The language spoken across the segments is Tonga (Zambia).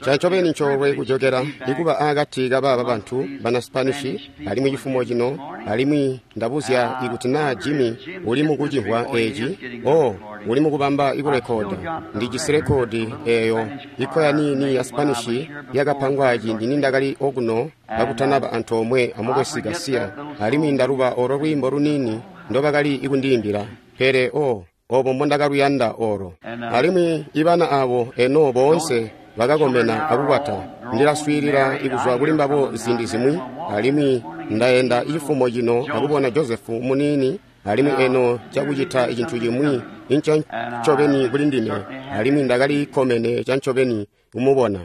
Ncancobeni ncoolwe kujokela ikuba akati kabaaba bantu bana Spanish alimwi cifumo cino, alimwi ndabuzya ikuti naa Jimmy uli mukucimvwa eeci. Oh, uli mukubamba ikurekoda. Ndijisi rekodi eeyo ikkoya niini ya Spanish yakapangwa ciindi nindakali okuno kakutanaba antoomwe amukwesu Garcia, alimwi ndaluba olo lwiimbo luniini ndobakali ikundiimbila. Pele oh, obo mbondakaluyanda olo. Alimwi ibana abo eno boonse bakakomena akukwata. Ndilaswiilila ikuzwa kuli mbabo ziindi zimwi, alimwi ndaenda cifumo cino akubona Joseph muniini, alimwi eno cakucita cintu cimwi ncancobeni kuli ndime, alimwi ndakali kkomene cancobeni kumubona.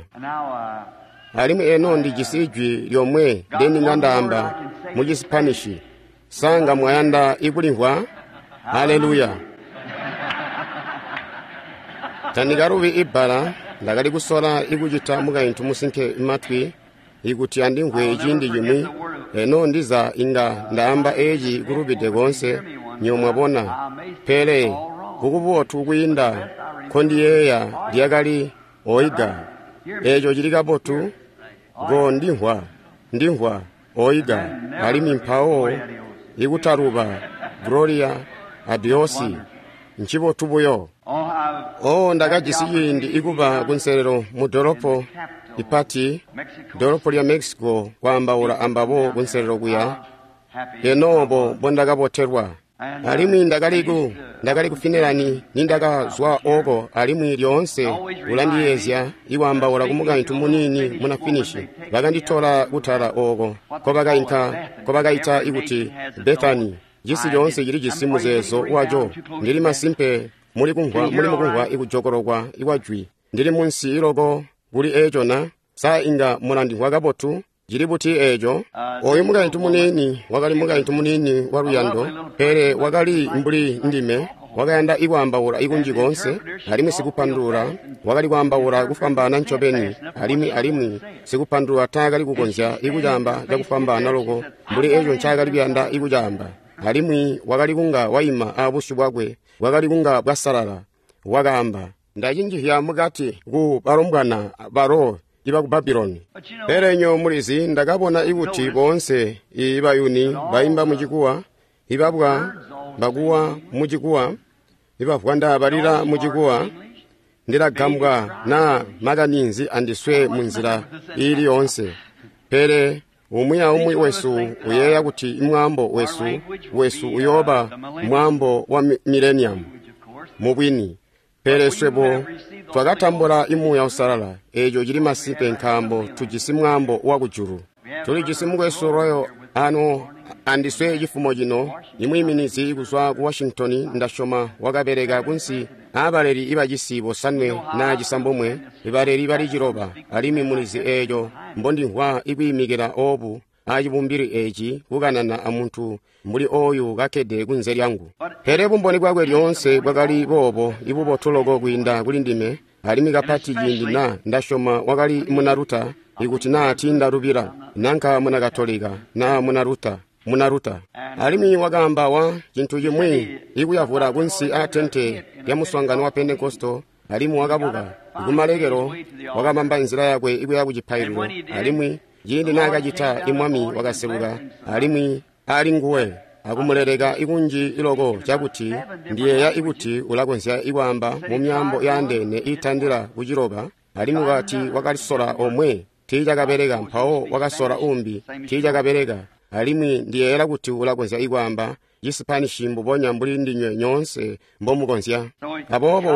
Alimwi eno ndijisi ijwi lyomwe ndeninga ndaamba mu Cisipanishi. Sanga mwayanda ikulimvwa? Haleluya! Tandikalubi ibbala ndakali kusola ikucita mukaintu musinke matwi ikuti andimvwe ciindi cimwi. Eno ndiza inga ndaamba eeci kulubide koonse, nyo mwabona. Pele kukubotu kwiinda nkondiyeeya lyakali oiga. Eeco cili kabotu, go ndimvwa, ndimvwa, oiga. Alimwi mpawo ikutaluba gloria adiosi, ncibotu buyo. Oh, ndakajisi ciindi ikuba kunselelo mu dolopo ipati, dolopo lya Mexico, kwaambaula ambabo kunselelo kuya. Eno obo mbondakabotelwa. Alimwi ndakali ku Finland nindakazwa oko, alimwi lyoonse ulandiyeezya ikwaambaula kumukaintu muniini muna Finnish. Bakanditola kutala oko nkobakaita ikuti Bethany. Cisi coonse cilijisi muzeezo waco. Ndili masimpe muli mukumvwa ikujokolokwa ikwajwi. Ndili munsi iloko kuli eeco na? Sa inga mulandimvwa kabotu? Cili buti eeco? Oyu mukaintu muniini wakali mukaintu muniini wa luyando, pele wakali mbuli ndime, wakayanda ikwaambaula ikunji koonse, alimwi sikupandulula wakali kwaambaula kufwambaana ncobeni, alimwi sikupandulula taakali kukonzya ikucaamba cakufwambaana loko mbuli eeco ncaakali kuyanda ikucaamba. Alimwi wakali kunga waima abusyu bwakwe bwakali kunga bwasalala. Wakaamba, ndacinjihya mukati ku balombwana balo ibaku Babuloni. Pele nyo mulizi, ndakabona ikuti boonse ibayuni baimba mucikuwa, ibabwa bakuwa mucikuwa, ibavwanda balila mucikuwa. Ndilagambwa naa makani nzi andiswe munzila iili yoonse. Pele umwi aumwi wesu uyeeya kuti mwaambo wesu uyooba mwaambo wa millennium mubwini. Pele swebo twakatambula imuuya usalala, eeco cili masimpe nkaambo tujisi mwaambo wa kujulu. Tulijisi mukwesu Royo ano andiswe cifumo cino, imwiiminizi kuzwa ku Washington, ndasyoma wakabeleka kunsi aabaleli ibacisi bosanwe naa cisambomwe, ibaleli bali ciloba, alimwi mulizi eeco mbondimvwa ikwiimikila oobu acibumbili eeci kukanana amuntu mbuli ooyu kakkede kunze lyangu. Pele bumboni bwakwe lyoonse bwakali boobo ibubotu loko kwiinda kuli ndime, alimwi kapati ciindi na ndasyoma wakali muna Luta, ikuti naa tiindalubila, nanka muna Katolika naa muna Luta. Alimwi wakaamba wa cintu cimwi ikuyavula kunsi aatente lya muswaangano wa Pentekosto, alimwi wakabuka kumalekelo, wakabamba nzila yakwe ikuya kucipaililo, alimwi ciindi naakacita imwami wakaseluka alimwi ali nguwe akumuleleka ikunji iloko cakuti ndiyeeya ikuti ulakonzya ikwaamba mu myaambo yaandeene iitandila kuciloba. Alimwi wakati wakalisola omwe tiicakabeleka, mpawo wakasola umbi tiicakabeleka. Alimwi ndiyeeyela kuti ulakonzya ikwaamba Cisipanishi mbubonya mbuli ndinywe nyoonse mbomukonzya. Aboobo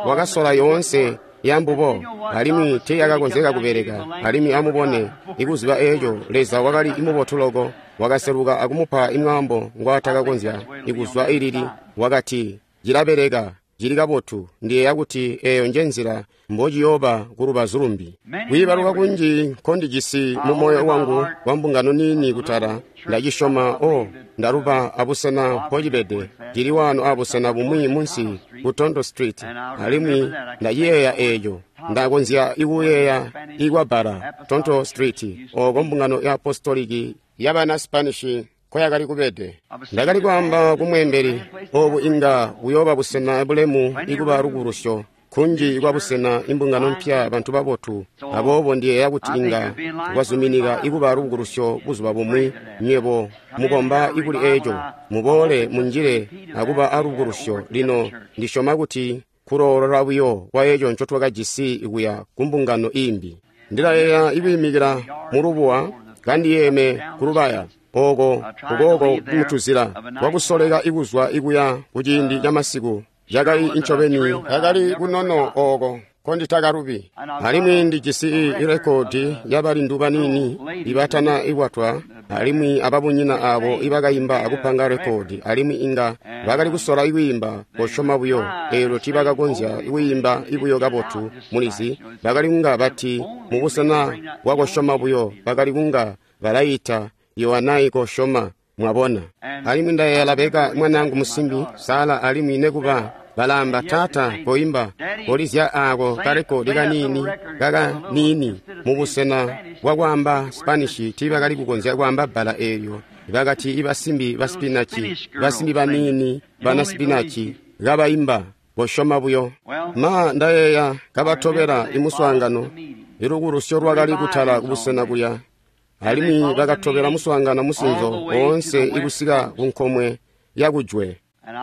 wakasola yoonse yambubo, alimwi tiiyakakonzeka kubeleka. Alimwi amubone, ikuziba eeco, Leza wakali imubotu loko, wakaseluka akumupa imwaambo ngwaatakakonzya ikuzwa ilili. Wakati, cilabeleka, cili kabotu. Ndiyeeya kuti eeyo njenzila mbociyooba kulubazu lumbi. Kwiibaluka kunji nkondijisi mu moyo wangu wa mbungano niini kutala, ndacisyoma. O, ndaluba abusena mpocibede, cili waano abusena bumwi munsi ku Tondo Street, alimwi ndaciyeeya eeco. Ndakonzya ikuyeeya ikwabbala Tondo Street, ooko mbungano ya apostoliki yabana Spanish nkoyakali kubede. Ndakali kwaamba kumweembeli, oobu inga buyooba busena bulemu ikuba lukulusyo. Kunji kwa busena imbungano mpya bantu babotu. Aboobo ndiyeeya kuti inga kwazuminika ikuba lubukulusyo buzuba bumwi. Nywebo mukomba ikuli eco, muboole munjile akuba alubukulusyo. Lino ndisyoma kuti kuloolola buyo kwa eco nco twakajisi kuya ku mbungano imbi. Ndilayeeya ikwiimikila mulubuwa kandiyeeme kulubaya oko kukooko kumutuzila kwakusoleka ikuzwa ikuya kuciindi ca masiku. Cakali ncobeni kakali kunono oko konditakalubi. Alimwi ndijisi irekodi yabalindu baniini ibatana ikwatwa alimwi ababunyina abo ibakaimba akupanga rekodi, alimwi inga bakali kusola ikwiimba kosyoma buyo. Eelyo tiibakakonzya kwiimba ibuyo kabotu, mulizi. Bakali kunga bati mubusena bwa kosyoma buyo bakali kunga balayita Yohanayi kosyoma, mwabona. Alimwi ndayeeya Labeka mwanaangu musimbi Sala, alimwi nekuba balamba, taata koimba kolizya ako karekodi kaniini kakaniini mubusena bwa kwaamba Spanish. Tiibakali kukonzya kwaamba bbala eelyo. Bakati ibasimbi ba spinachi, basimbi baniini bana spinachi kabaimba kosyoma buyo. Ma ndayeeya kabatobela imuswaangano, ilukulusyo lwakali kutala kubusena kuya, alimwi bakatobela muswaangano musinzo woonse ikusika ku nkomwe yakujwe.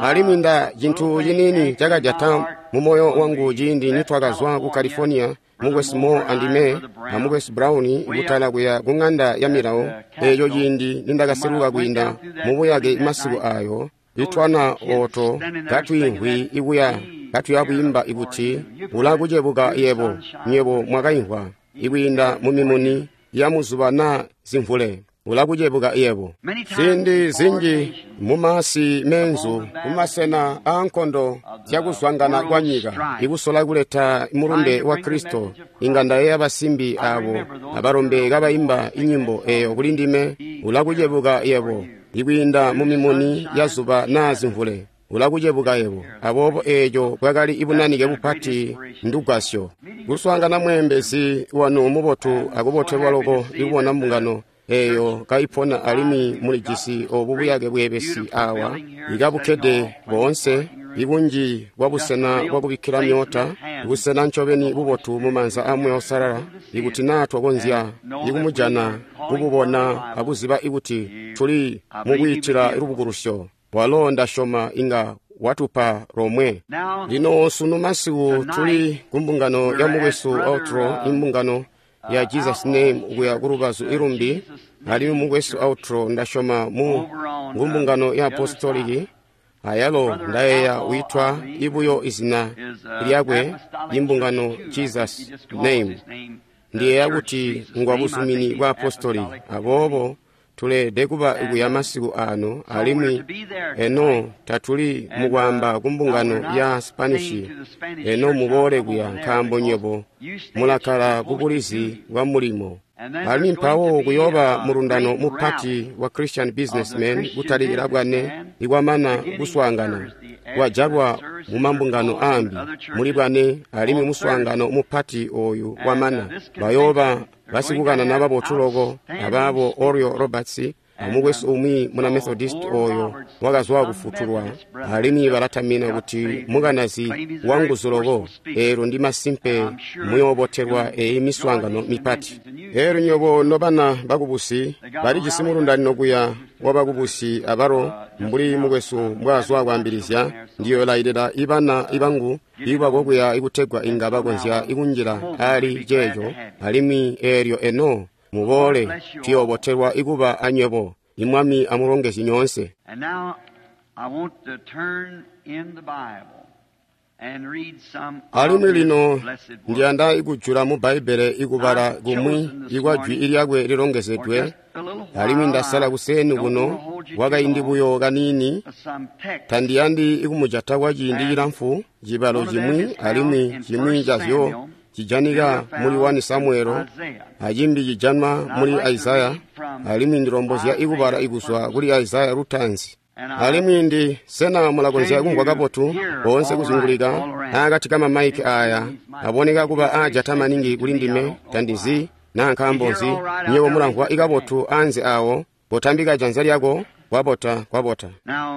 Alimwi nda cintu ciniini cakajata mu moyo wangu ciindi nitwakazwa ku California, mukwesu Moore andime a mukwesu Brown kutala kuya ku ng'anda ya milawo. Eeco ciindi nindakaseluka kwiinda mubuyake masiku ayo, itwana oto katwiimvwi ikuya katuya kwiimba ikuti ulakucebuka yebo, nywebo mwakaimvwa ikwiinda mu mimuni ya muzuba na zimvule, ulakucebuka yebo. Ziindi zinji mumasi menzu, kumasena aankondo zyakuzwangana kwa nyika, ikusola kuleta mulumbe wa Kristo, inga ndayeeya basimbi abo abalombe kabaimba inyimbo eyo kuli ndime, ulakucebuka yebo, ikwiinda mu mimuni ya zuba na zimvule, ulakucebuka yebo. Aboobo eeco bwakali ibunanike bupati ndugwasyo. Kuswaangana mweembezi wanu mubotu akubotelwa loko ikubona mbungano eyo kaipona, alimwi mulijisi obu buyake bweebesi awa ikabukkede boonse, ibunji bwa busena bwakubikkila myoota, busena ncobeni bubotu mumaanza a Muuya Uusalala, ikuti naa twakonzya ikumujana, kububona akuziba ikuti tuli mukwiitila lubukulusyo. Walo ndasyoma inga watupa lomwe. Lino sunu masiku tuli kumbungano ya mukwesu Outro, imbungano ya Jesus Name kuya kulubazu ilumbi, alimwi mukwesu Outro ndasyoma mu ngumbungano ya apostoliki. Ayalo ndayeeya witwa ibuyo izina lyakwe imbungano Jesus Name. Ndiyeeya kuti ngwa buzumini bwa apostoli. Aboobo tuleelede kuba kuya masiku ano, alimwi eno tatuli mukwaamba kumbungano ya Spanish. Eno muboole kuya, nkaambo nywebo mulakkala kubulizi bwa mulimo. Alimwi mpawo kuyooba mulundano mupati wa Christian Businessmen kutalikila bwane ikwamana kuswaangana kwajalwa mumambungano aambi muli bwane, alimwi muswaangano mupati oyu wamana bayooba basikukanana babotu loko abaabo Oral Roberts amukwesu umwi muna Methodist oyo wakazwa kufutulwa, alimwi balatamina kuti mukanazi wanguzu loko. Eelyo ndi masimpe muyoobotelwa eyi miswaangano mipati. Eelyo nywebo nobana bakubusi balijisi mulundanino kuya wabakubusi abalo, mbuli mukwesu mbwaazwa kwaambilizya, ndiyoolayilila ibana ibangu ibako kuya ikutegwa inga bakonzya ikunjila ali ceeco. Alimwi eelyo eno muboole, tuyoobotelwa ikuba anywebo. Imwami amulongezye nyoonse. Alimwi lino ndiyanda ikujula mu Bbaibbele ikubala kumwi ikwa jwi lyakwe lilongezedwe. Alimwi ndasala kuseeni kuno kwakaindi buyo kaniini, tandiyandi ikumujata kwa ciindi cilamfu, cibalo cimwi alimwi cimwi cazyo cijanika muli 1 Samuelo, acimbi cijanwa muli Isaya, alimwi ndilombozya ikubala ikuzwa kuli Isaya lutaanzi. Alimwi ndi sena mulakonzya kumvwa kabotu boonse kuzungulika akati ka mamaiki aya aboneka kuba aajata maningi kuli ndime, tandizi naa nkaambo nzi. Nywebo mulamvwa ikabotu anze awo, potambika janza lyako. Kwabota, kwabota.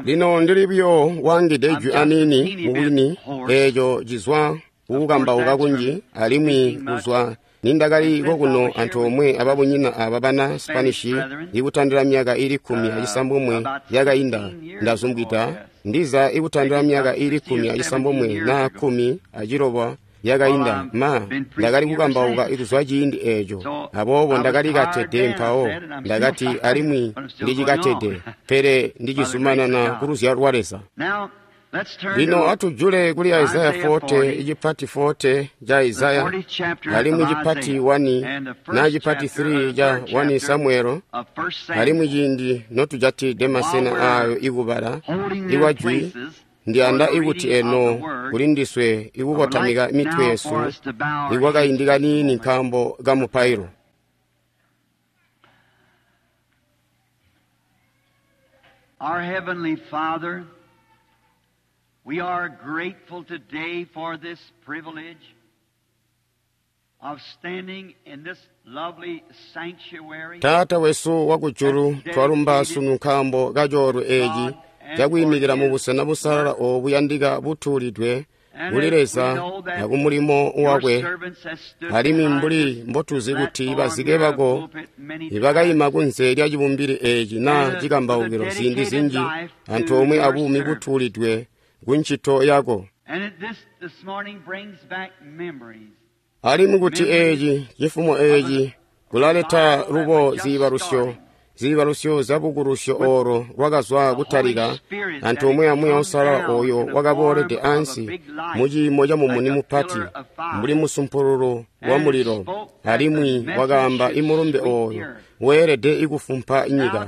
Lino ndili buyo wangide jwi aniini mubwini, eeco cizwa kukukambauka kunji, alimwi kuzwa nindakali kokuno antoomwe ababunyina aba bana Spanish ikutandila myaka ili 16 yakainda, ndazumbwida ndiza ikutandila myaka ili 16 na 16 yakainda, ma ndakali kukambauka kuzwa ciindi eeco. Aboobo ndakali katede mpawo ndakati, alimwi ndicikatede, pele ndicizumanana kuluzyalo lwa Leza. Lino atujule kuli Isaya 40, icipati 40 ca Isaya, alimwi cipati 1 na cipati 3 ca 1 Samuelo, alimwi ciindi notujatide masena aayo ikubala ikwa jwi, ndiyanda ikuti eno kuli ndiswe ikukotamika mitwe yesu ikwakaindi kaniini nkaambo ka mupailo. Our Heavenly Father, we are grateful today for this privilege of standing in this lovely sanctuary. Taata wesu wakujulu, twalumba sunu nkaambo ka coolwe eeci cakwiimikila mu busena busalala oobu buyandika butuulidwe kuli Leza akumulimo wakwe, alimwi mbuli mbotuzi kuti bazike bako ibakayima kunze lya cibumbili eeci naa cikambaukilo ziindi zinji antoomwe abuumi butuulidwe ku ncito yako. Alimwi kuti eeci cifumo eeci kulaleta lubo ziibalusyo ziibalusyo zyabukulusyo oolo lwakazwa kutalika antoomwe amuuya uusalala ooyo wakaboolede ansi muciimo ca mumuni mupati mbuli musumpululu wa mulilo, alimwi wakaamba imulumbe ooyo weelede ikufumpa nyika.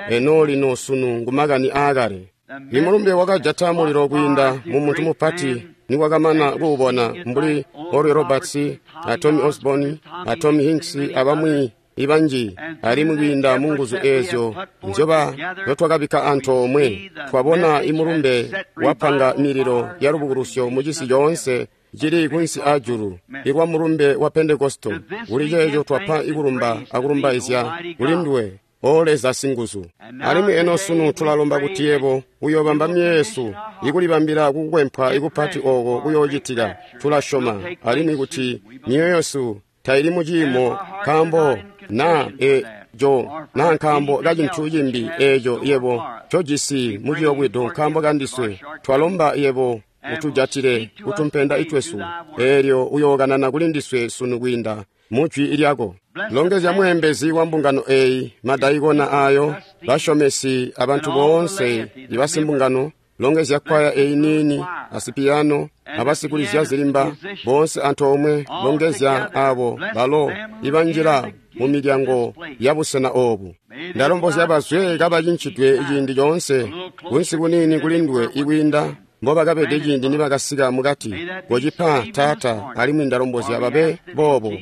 Eno lino sunu ngumakani aakale. Imulumbe wakajata mulilo kwiinda mu muntu mupati niwakamana kuubona mbuli Oral Roberts, a Tommy Osborn, a Tommy Hinks abamwi ibanji, alimwi kwiinda mu nguzu eezyo nzyoba nzyotwakabikka antoomwe, twabona imulumbe wapanga mililo ya lubukulusyo mu cisi coonse cili kunsi aajulu ilwa mulumbe wa Pentekosto. Kuli ceeco twapa ikulumba akulumbaizya kuli nduwe, O Leza singuzu. Alimwi eno sunu tulalomba kuti yebo uyoobamba myoyo yesu ikulibambila kukukwempwa ikupati ooko kuyoocitika. Tulasyoma alimwi kuti myoyo yesu taili muciimo nkaambo na eco naa nkaambo ka cintu cimbi eeco yebo ncojisi muciyobwedo nkaambo kandiswe. Twalomba yebo utujatile kutumpenda itwesu, eelyo uyookanana kuli ndiswe sunu kwiinda mujwi lyako. Longezya mweembezi wa mbungano eeyi, madaikona aayo, basyomesi abantu boonse ibasimbungano. Longezya kwaya eyi niini, asipiyano, abasikulizya zilimba boonse antoomwe. Longezya aabo balo ibanjila mu milyango ya busena oobu. Ndalombozya bazwe kabacincidwe ciindi coonse kunsi kuniini kuli nduwe ikwiinda mbobakabede ciindi nibakasika mukati. Kocipa Taata, alimwi ndalombozya babe boobo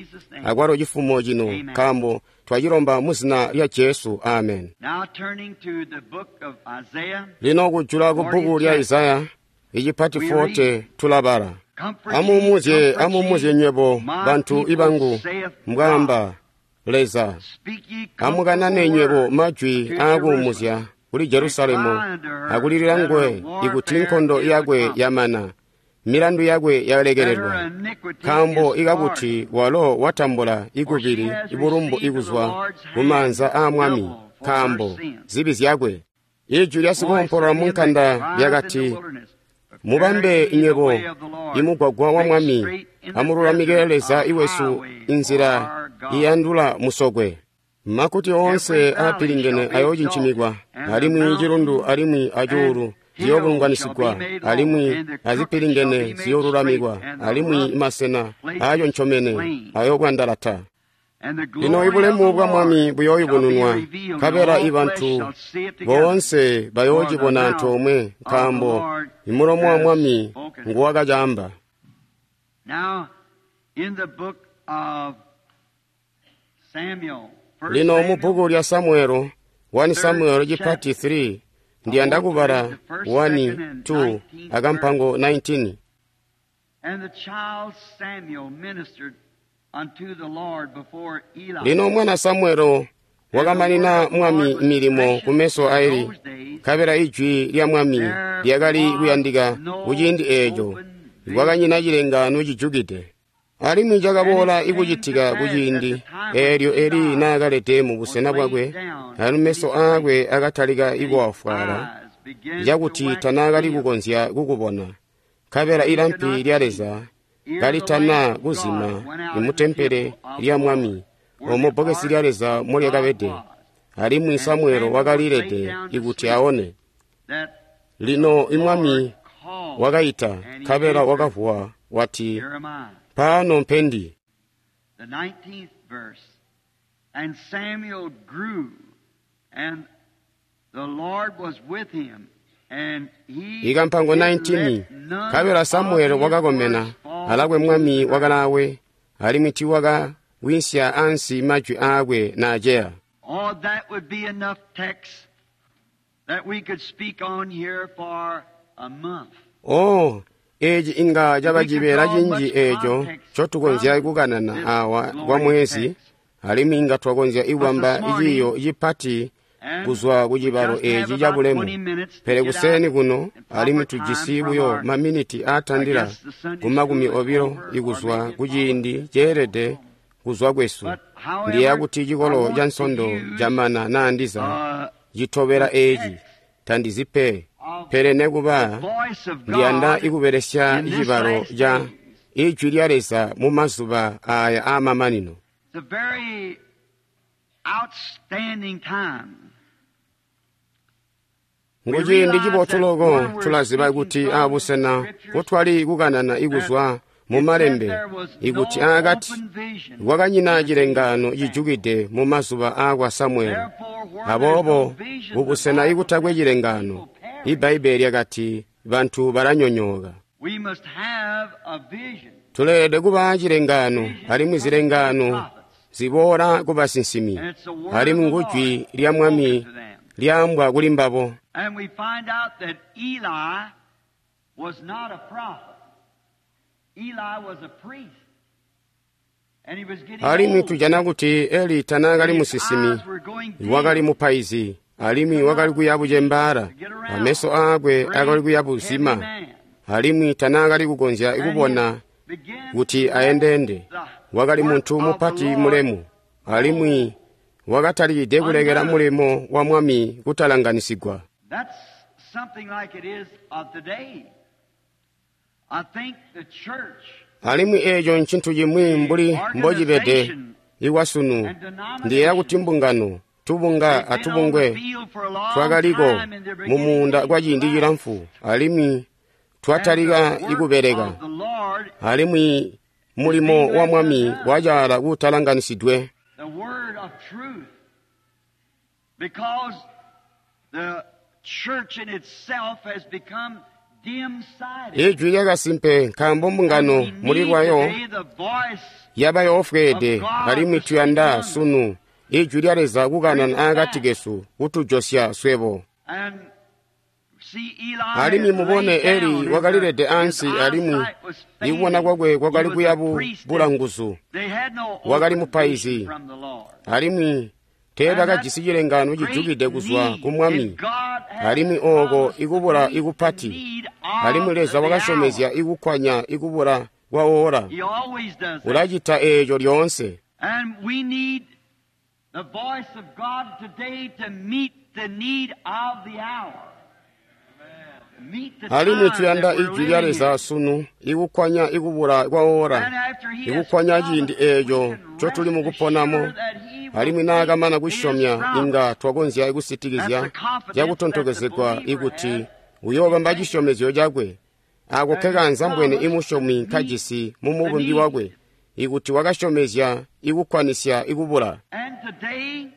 akwalo cifumo cino, nkaambo twacilomba mu zina lya Jesu. Amen. Lino kujula ku bbuku lya Isaya icipati 40 tulabala. Amuumuzye, amuumuzye nywebo bantu ibangu, mbwaamba Leza. Amukanane nywebo majwi aakuumuzya kuli Jerusalemu akulilila nguwe ikuti nkondo yakwe yamana, milandu yakwe yalekelelwa, nkaambo ikakuti walo watambula ikubili ibulumbu ikuzwa kumaanza aa Mwami nkaambo zibi zyakwe. Ijwi lya sikuompolola munkanda lyakati, mubambe nywebo imugwagwa wa Mwami, amululamike Leza iwesu inzila iyandula musokwe. Makuti oonse aapilingene ayoocincinigwa, alimwi cilundu alimwi acuulu ziyoobulunganisigwa, alimwi azipilingene ziyoolulamikwa, alimwi masena aayoncomene ayoobwandalata. Lino ibulemu bwa Mwami buyooyubununwa, nkabela ibantu boonse bayoocibona antoomwe, nkaambo imulomo wa Mwami nguwakacaamba. Lino mu bbuku lya Samuelo, 1 Samuelo cipati 3, ndiyanda kubala 1, 2 akampango 19. Lino mwana Samuelo wakamanina Mwami milimo kumeso a Eli, nkabela ijwi lya Mwami lyakali kuyandika kuciindi eeco. Kwakanyina cilengaano cijukide. Alimwi cakaboola ikucitika kuciindi eelyo Eli naakalede mu busena bwakwe, alimwi meso aakwe akatalika ikuwafwala cakuti tanaakali kukonzya kukubona. Nkabela ilampi lya Leza kalitana kuzima imutempele lya Mwami, omo bbokesi lya Leza molyakabede, alimwi Samuelo wakalilede ikuti aone. Lino imwami wakaita, nkabela wakavuwa wati, Pano mpendi. The 19th verse. And Samuel grew, and the Lord was with him, and he Ikampango didn't 19 let none nkabela of Samuelo his wakakomena, words fall alakwe to mwami the ground. wakalaawe, alimwi tiwakawinsya ansi majwi aakwe naaceya. Oh, that would be enough text that we could speak on here for a month. Oh, eci inga caba cibeela cinji eeco ncotukonzya kukanana awa kwa mwezi, alimwi inga twakonzya ikubamba ciiyo cipati And kuzwa ku we cibalo just have eci about cabulemu. 20 minutes to Pele get kuseeni out kuno in proper alimwi time tujisi from buyo our maminiti I aatandila guess the Sunday ku makumi school is obilo over, or ikuzwa maybe it ku follows. ciindi ceelede kuzwa kwesu. But however, Ndiya kuti I cikolo want ca to nsondo use camana naandiza citobela the eci text tandizipe, of pele the nekuba voice of ndiyanda God ikubelesya in this cibalo last ca days. ijwi lya Leza mu mazuba aya aamamanino. It's a very outstanding time. We Nguciindi realize cibotu that loko where we're tulaziba speaking kuti from the abusena scriptures, kutwali kukanana that ikuzwa mu it said malembe there was ikuti no aakati open vision kwakanyina in the days cilengaano of Samuel. cijukide mu mazuba aakwa Samuelo. Therefore, where there's no Aboobo vision, the kubusena Bible ikutakwe says cilengaano, people perish. iBbaibbele lyakati bantu balanyonyooka. We must have a vision. Tuleelede kuba cilengaano, Vision alimwi comes to the zilengaano prophets, ziboola ku basinsimi, and it's the word of alimwi the ngujwi Lord lya spoken Mwami to them. lyaambwa kuli mbabo. And we find out that Eli was not a prophet. Eli was a priest. And he was getting Alimwi old. tujana kuti Eli And tanaakali his musinsimi, eyes were going wakali dim mupaizi, alimwi He wakali could kuya not see bucembaala, to get around. ameso aakwe akali Great, kuya heavy buzima, man. alimwi tanaakali kukonzya And he kubona began kuti to let ayendeende. the Wakali work muntu of the mupati Lord mulemu, alimwi wakatalikide kulekela undone. mulimo wa Mwami kutalanganisigwa. That's something like it is of today. I think the church, Alimwi eeco ncintu cimwi the mbuli mbocibede organization ikwasunu. and Ndiyeeya kuti denominations, mbungano, tubunga they've been on the atubungwe field for a long twakaliko time and they're mu beginning to muunda get kwa ciindi relaxed. cilamfu, alimwi And the twatalika work ikubeleka, of the Lord alimwi is mulimo being wa left Mwami undone. wacaala kutalanganisidwe. The word of truth. Because the church in itself has become dim-sighted. Ijwi lyakasimpe nkaambo And mbungano we muli need lwayo today the voice yaba of yoofweede, God alimwi to speak tuyanda among us. sunu ijwi lya Leza Bring kukanana us aakati back. kesu kutujosya swebo. And see, Eli Alimwi had mubone laid Eli down, and wakalilede his ansi, alimwi eyesight was ikubona failing. kwakwe He kwakali was a kuya priest, bula and nguzu. they had no Wakali open vision mupaizi, from the Lord. alimwi And that teebakajisi cilengaano great cijukide kuzwa need, ku and Mwami, God has alimwi ooko promised to ikubula meet the ikupati, need alimwi of Leza the wakasyomezya hour. ikukkwanya ikubula kwa oora. He always does that. Ulacita eeco lyoonse. And we need the voice of God today to meet the need of the hour. Meet the Alimwi time tuyanda that we're ijwi lya living Leza in. sunu ikukkwanya ikubula kwa oora, And after he has ikukkwanya ciindi promised, we eeco can ncotuli rest mukuponamo, assured that he will alimwi keep naakamana his kusyomya promise. inga twakonzya That's ikusitikizya the confidence that the cakutontokezegwa believer ikuti has. uyoobamba He thinks cisyomezyo cakwe. Ako that he kekanza mbwene promised to imusyomi meet nkajisi mu the mubumbi need. wakwe, ikuti wakasyomezya ikukkwanisya ikubula. And today,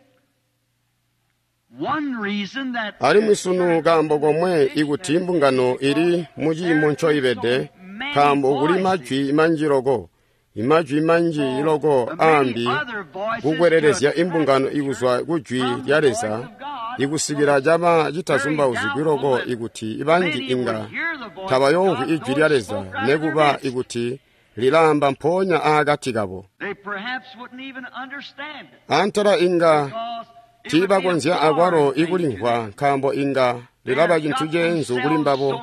one reason that Alimwi the sunu church is kaambo in the komwe condition ikuti that it is mbungano because ili mu ciimo there is ncoibede, so many nkaambo kuli voices majwi manji loko, imajwi manji for loko the many aambi other voices to kukwelelezya attract imbungano the church ikuzwa ku jwi from lya the voice Leza of God, so ikusikila it's caba very citazumbauzigwi doubtful loko that ikuti ibanji many would inga hear the voice of tabayoomvwi God, ijwi though lya it Leza spoke right in their nekuba midst. ikuti lilaamba mpoonya aakati kabo. They perhaps wouldn't even understand it Antela inga because it would be a tiibakonzya akwalo foreign thing to ikulimvwa them. nkaambo inga lilaba cintu ceenzu kuli mbabo.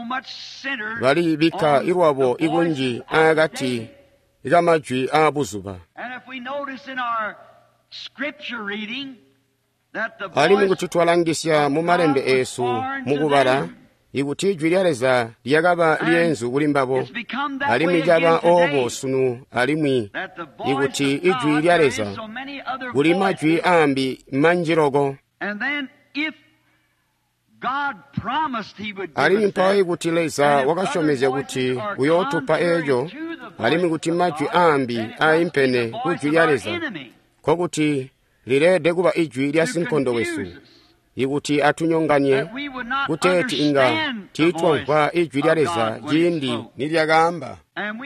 Balibikka ilwabo ikunji aakati kamajwi aabuzuba. Alimwi kuti twalangisya mu malembe eesu mukubala, ikuti ijwi lya Leza lyakaba lyeenzu kuli mbabo, alimwi caba oobo sunu, alimwi ikuti ijwi lya Leza kuli majwi aambi manji loko. Alimwi mpawo ikuti Leza wakasyomezya kuti uyootupa eeco, alimwi kuti majwi aambi aimpene kujwi lya Leza, nkokuti lileede kuba ijwi lya sinkondo wesu, ikuti atunyonganye kuteeti inga tiitwamvwa ijwi lya Leza ciindi nilyakaamba.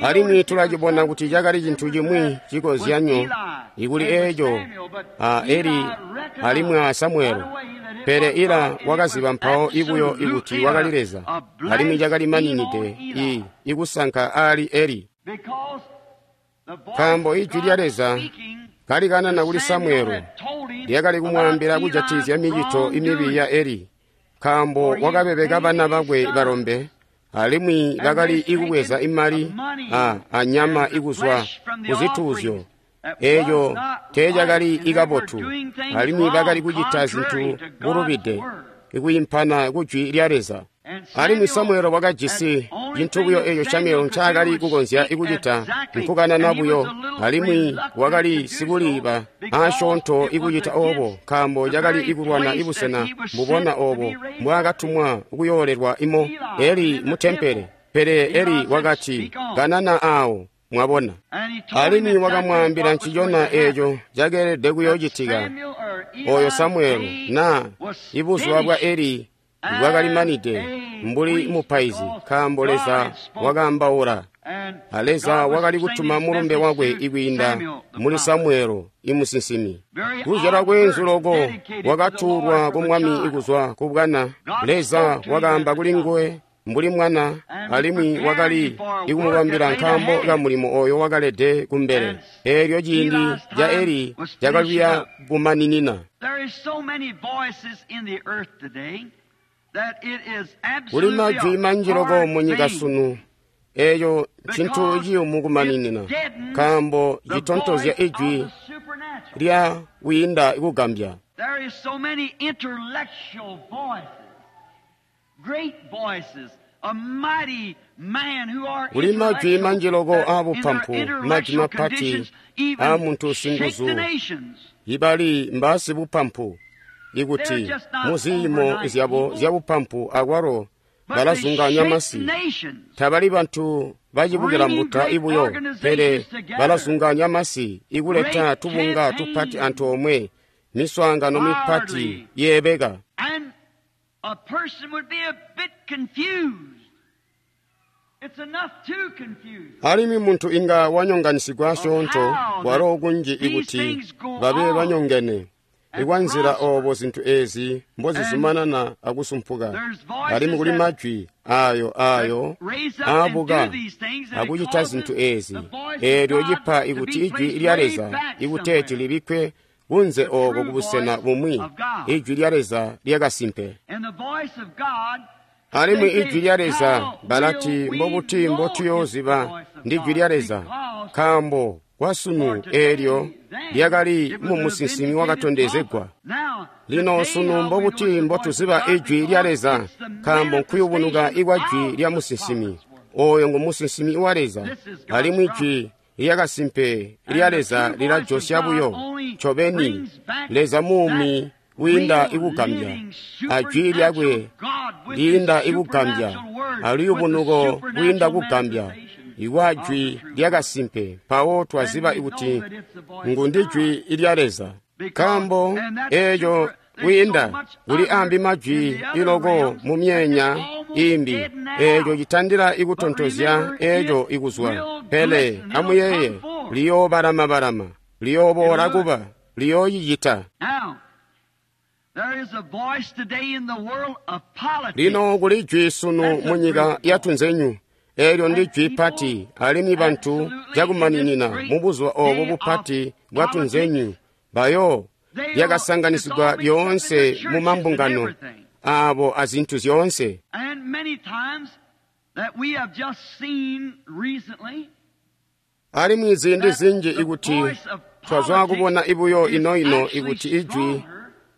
Alimwi tulacibona kuti cakali cintu cimwi cikozyanyo ikuli eeco a Eli alimwi a Samuelo. Pele Ila wakaziba mpawo ibuyo ikuti wakali Leza, alimwi cakali maninide ikusanka aali Eli. Nkaambo ijwi lya Leza kalikanana kuli Samuelo, lyakali kumwaambila kujatikizya micito imibi ya Eli, nkaambo wakabebeka bana bakwe balombe, alimwi bakali ikubweza imali anyama ikuzwa kuzituuzyo. Eeco teecakali ikabotu, alimwi bakali kucita zintu bulubide, ikwiimpana kujwi lya Leza. Alimwi Samuelo wakajisi cintu buyo eeco Samuelo ncaakali kukonzya ikucita nkukanana buyo, alimwi wakali sikuliiba aasyoonto ikucita oobo, nkaambo cakali ikulwana ibusena mbubona oobo mbwaakatumwa kuyoolelwa imo Eli mu tempele. Pele Eli wakati, kanana aawo, mwabona. Alimwi wakamwaambila ncicona eeco cakeelede kuyoocitika. Oyo Samuelo na ibuzuba bwa Eli bwakalimanide mbuli mupaizi, nkaambo Leza wakaambaula, a Leza wakali kutuma mulumbe wakwe ikwiinda muli Samuelo imusinsimi. Kuzyalwa kweenzu loko wakatuulwa ku Mwami ikuzwa ku bwana. Leza wakaamba kuli nguwe mbuli mwana, alimwi wakali ikumubambila nkaambo ka mulimo oyo wakalede kumbele. Eelyo ciindi ca Eli cakali kuya kumaninina. Kuli majwi manji loko munyika sunu, eeco ncintu ciyumu kumaninina, nkaambo citontozya ijwi lya wiinda kugambya. Kuli majwi manji loko aabupampu, majwi mapati aamuntu singuzu, ibali mbaasibupampu, ikuti muziimo zyabo zyabupampu akwalo balazunganya masi. Tabali bantu bacibukila mbuta ibuyo, pele balazunganya masi ikuleta tubunga tupati antoomwe, miswaangano mipati yeebeka. Alimwi muntu inga wanyonganisigwa asyoonto walo kunji ikuti babe banyongene ikwanzila oobo zintu eezi mbozizumanana akusumpuka. Alimwi kuli majwi ayo aabuka akucita zintu eezi, eelyo cipa ikuti ijwi lya Leza ikuteeti libikkwe kunze ooko kubusena bumwi, ijwi lya Leza lyakasimpe. Alimwi ijwi lya Leza balati, mbobuti mbotuyooziba ndijwi lya Leza? Nkaambo kwasunu eelyo lyakali mu musinsimi wakatondezegwa. Lino sunu mbobuti mbotuziba ijwi lya Leza? Nkaambo nkuyubunuka ikwa jwi lya musinsimi. Oyo ngu musinsimi wa Leza, alimwi jwi lyakasimpe lya Leza lilajosya buyo ncobeni Leza muumi wiinda ikugambya, ajwi lyakwe liinda ikugambya, aluyubunuko lwiinda kugambya ikwa jwi lyakasimpe. Mpawo twaziba kuti ngu ndijwi lya Leza, nkaambo eeco kwiinda kuli ambi majwi iloko mu myeenya imbi, eeco citandila ikutontozya eeco ikuzwa. Pele amuyeeye, liyoobalama-balama, liyooboola kuba, liyoocicita. Lino kuli jwi sunu munyika yatunzenyu, eelyo ndi jwi pati, alimwi bantu cakumaninina mubuzuba oobo bupati bwatunzenyu bayo lyakasanganisigwa lyoonse mu mambungano abo azintu zyoonse. And many times that we have just seen recently, Alimwi ziindi zinji ikuti twazwa kubona ibuyo ino-ino ikuti ijwi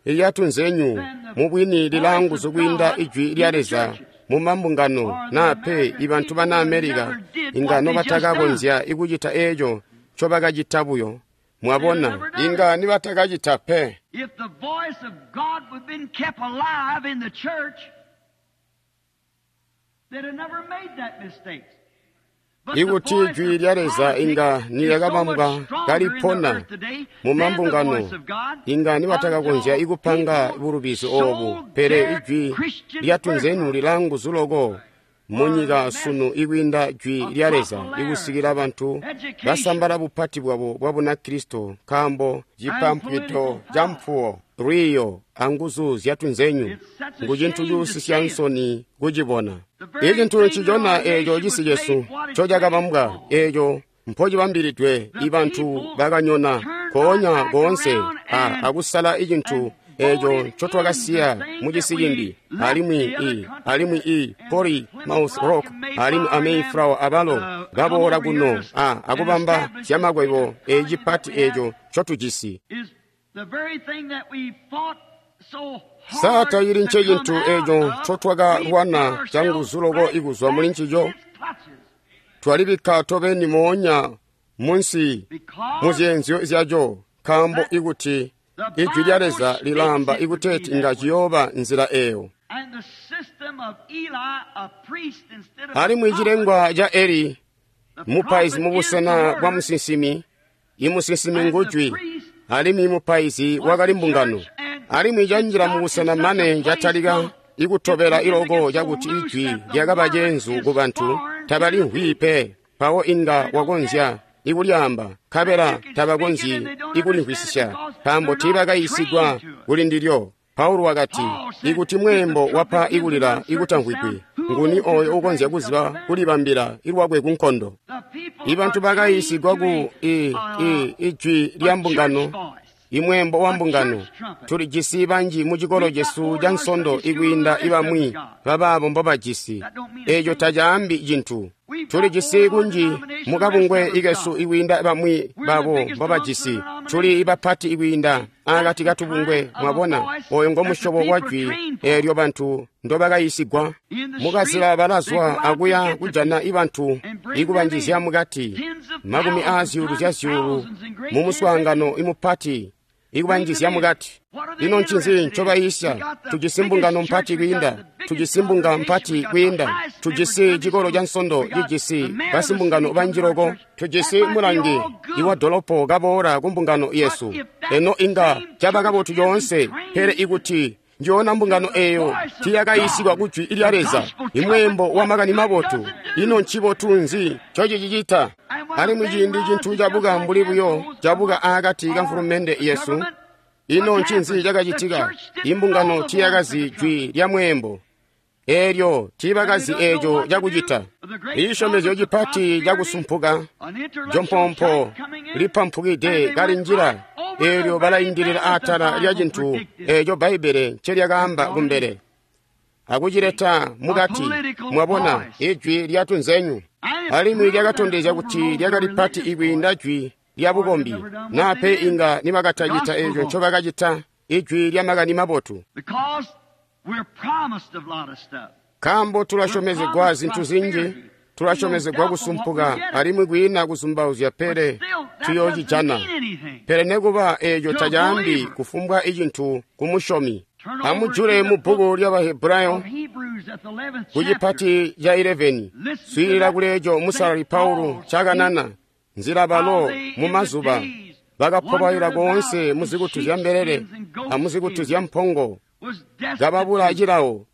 lyatunzenyu mubwini lilaanguzu kwiinda ijwi lya Leza mu mambungano naa pe ibantu bana Amerika inga nobatakakonzya ikucita eeco ncobakacita buyo. Mwabona, inga nibatakacita pe. if the voice of God would have been kept alive in the church, they'd have never made that mistake. But the Ikuti voice ijwi of lya Leza politics inga is so nilyakabambwa much stronger in the kalipona earth today mu than the mambungano, voice of God inga nibatakakonzya until ikupanga people bulubizi obu. sold Pele their ijwi Christian lyatunzenu birthright. lilaanguzu loko munyika sunu ikwiinda jwi lya Leza ikusikila bantu basambala bupati bwabo bwa Bunakristo nkaambo cipampwito ca mpuwo, lwiiyo anguzu zyatunzenyu ngu cintu cuusisya nsoni kucibona. Icintu ncicona eeco cisi cesu ncocakabambwa eeco mpocibambilidwe ibantu bakanyona nkoonya koonse akusala icintu eeco ncotwakasiya mucisi cimbi alimwi i Plymouth Rock alimwi a Mayflower abalo baboola kuno akubamba zyamakwebo ecipati eeco ncotujisi. Is the very thing that we fought so Sa hard tacili to ncecintu come out eeco of, ncotwakalwana we put canguzu loko ourselves ikuzwa right muli ncico? in its clutches. Twalibikka tobeni moonya munsi Because muzyeenzyo zyaco nkaambo ikuti ijwi lya Leza lilaamba ikuteeti inga ciyooba nzila eeyo. and the system of Eli, a priest instead of a Alimwi prophet, cilengwa ca Eli, the mupaizi prophet mu is busena the bwa word, musinsimi, imusinsimi and the ngujwi, priest alimwi mupaizi wakali mbungano. Alimwi canjila mu busena mane catalika ikutobela iloko cakuti ijwi lyakaba ceenzu ku bantu tabalimvwi pe. Mpawo inga wakonzya ikulyaamba, nkabela tabakonzyi ikulimvwisisya, nkaambo tiibakayiisigwa kuli ndilyo. Paulo wakati, ikuti mweembo wapa ikulila ikutamvwigwi, nguni oyo ukonzya kuziba kulibambila ilwakwe ku nkondo? the people Ibantu are bakayiisigwa trained ku to ijwi a lya mbungano, church voice. imweembo wa mbungano. Tulijisi banji mu cikolo cesu ca nsondo ikwiinda ibamwi babaabo mbobajisi. Eeco tacaambi cintu. Tulijisi kunji mu kabungwe ikesu ikwiinda bamwi babo mbobajisi. Tuli bapati ikwiinda akati katubungwe, mwabona, oyo ngomusyobo wa jwi eelyo bantu ndobakayiisigwa. Mukazila balazwa akuya kujana ibantu ikubanjizya mukati, makumi aazyuulu zya zyuulu mu muswaangano imupati ikubanjizya mukati. Ino ncinzi ncobayiisya? Tujisi mbungano mpati kwiinda, tujisi mbunga mpati kwiinda, tujisi cikolo ca nsondo cijisi basimbungano banji loko, tujisi mulangi iwa dolopo kaboola ku mbungano yesu. Eno inga caba kabotu coonse, pele ikuti njoona mbungano eeyo tiyakayiisigwa ku jwi lya Leza, imweembo wa makani mabotu, ino ncibotu nzi ncocicicita? Alimwi ciindi cintu cabuka mbuli buyo cabuka aakati ka mfulumende yesu, ino ncinzi cakacitika? Imbungano tiyakazi jwi lya mweembo eelyo tiibakazi eeco cakucita. Iishomezyo cipati cakusumpuka An intellectual jompompo type coming in, lipampukide and they kali went njila right over eelyo the very balaindilila thing that the atala lya Bible cintu predicted. eeco Bbaibbele ncelyakaamba kumbele akucileta mukati. Mwabona, ijwi lyatunzenyu alimwi lyakatondezya kuti lyakali pati ikwiinda jwi lya bukombi, naa pe inga nibakatacita eeco ncobakacita ijwi lya makani mabotu. Because we're promised a lot of stuff. Nkaambo tulasyomezegwa zintu zinji, tulasyomezegwa kusumpuka alimwi kwiina kuzumbauzya pele Still, that doesn't tuyoocijana. mean anything. Pele nekuba eeco tacaambi kufumbwa icintu ku musyomi. Amujule mu bbuku lya Bahebrayo Of Hebrews at the 11th ku chapter. cipati ca 11, swiilila kuleeco musalali Paulo ncakanana nzila balo mu mazuba bakaphobaila koonse muzikutu zya mbelele amuzikutu zya mpongo, Was destitute. kababula cilawo,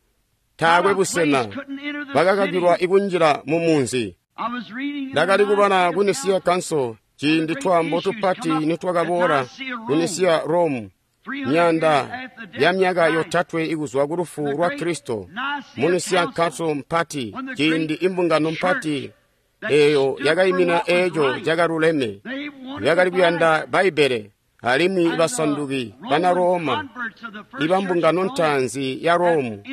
taakwe busena, Couldn't enter the bakakakilwa city. ikunjila mu munzi. I was reading in the Ndakali kubala ku Nicea Nisiya Council ciindi twaambo tupati nitwakaboola ku Nisiya Rome, myanda ya myaka yotatwe ikuzwa ku lufu lwa Kristo. Mu Nisiya Council mpati, ciindi imbungano mpati eeyo yakaimina eeco cakaluleme, yakali kuyanda Bbaibbele. Alimwi basanduki bana Roma ibambungano ntaanzi ya Romu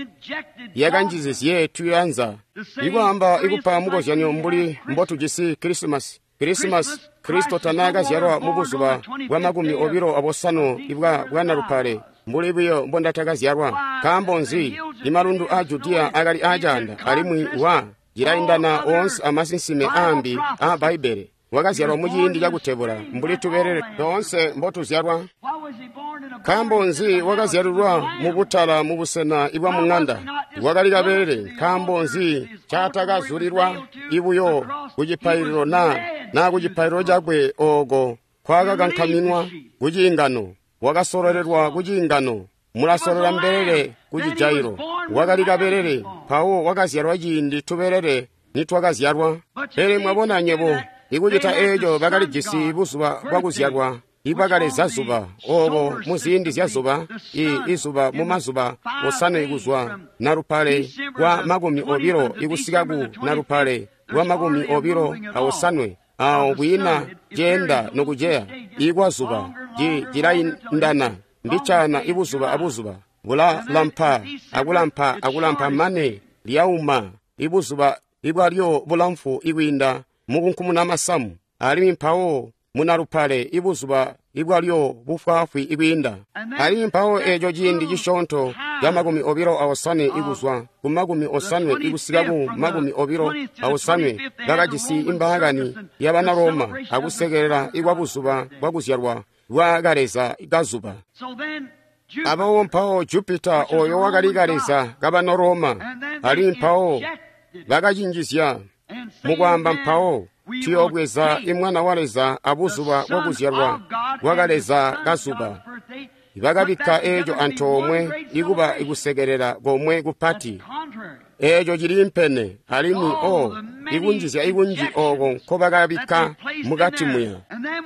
yakanjizizye tuyanza ikwaamba ikupa mukozyanyo mbuli mbotujisi Krisimasi. Krisimasi, Kristo tanaakazyalwa mubuzuba bwa 25 ibwa bwanalupale mbuli buyo mbondatakazyalwa. Nkaambo nzi? Imalundu a Judiya akali acaanda alimwi wa cilaindana oonse amasinsime aambi a Bbaibbele. Wakazyalwa muciindi cakutebula mbuli tubelele toonse mbotuzyalwa. Nkaambo nzi wakazyalilwa mubutala mubusena ibwa mung'anda? Wakali kabelele. Nkaambo nzi caatakazulilwa ibuyo kucipaililo naa kucipaililo cakwe ooko kwakakankaminwa kuciingano? Wakasololelwa kuciingano. Mulasolola mbelele kucijailo. Wakali kabelele, mpawo wakazyalwa ciindi tubelele nitwakazyalwa. Pele mwabona nyebo, ikucita eeco bakalijisi buzuba bwakuzyalwa ibwakaleza zuba, obo muziindi zya zuba, izuba mumazuba 5 kuzwa nalupale kwa 20 ikusika ku nalupale kwa 25, awo kwiina ceenda nokuceya ikwa zuba cilaindana mbicaana ibuzuba abuzuba bulalampa akulampa akulampa mane lyauma ibuzuba ibwalyo bulamfu ikwiinda mukunkumuna masamu, alimwi mpawo munalupale ibuzuba ibwalyo bufwaafwi ikwiinda. Alimwi mpawo eeco ciindi cisyoonto ca 25 ikuzwa ku 50 ikusika ku 25 bakajisi imbaakani yabana Roma akusekelela ikwa buzuba bwakuzyalwa bwa kaleza kazuba. Abawo mpawo Jupita oyo wakali kaleza kabana Roma, alimwi mpawo bakacinjizya mukwaamba mpawo tuyoobweza imwana wa Leza abuzuba bwakuzyalwa bwa kaleza kazuba. Bakabikka eeco antoomwe ikuba ikusekelela komwe kupati. Eeco ciliimpene alimwi ikunjizya ikunji ooko nkobakabikka mukati muya.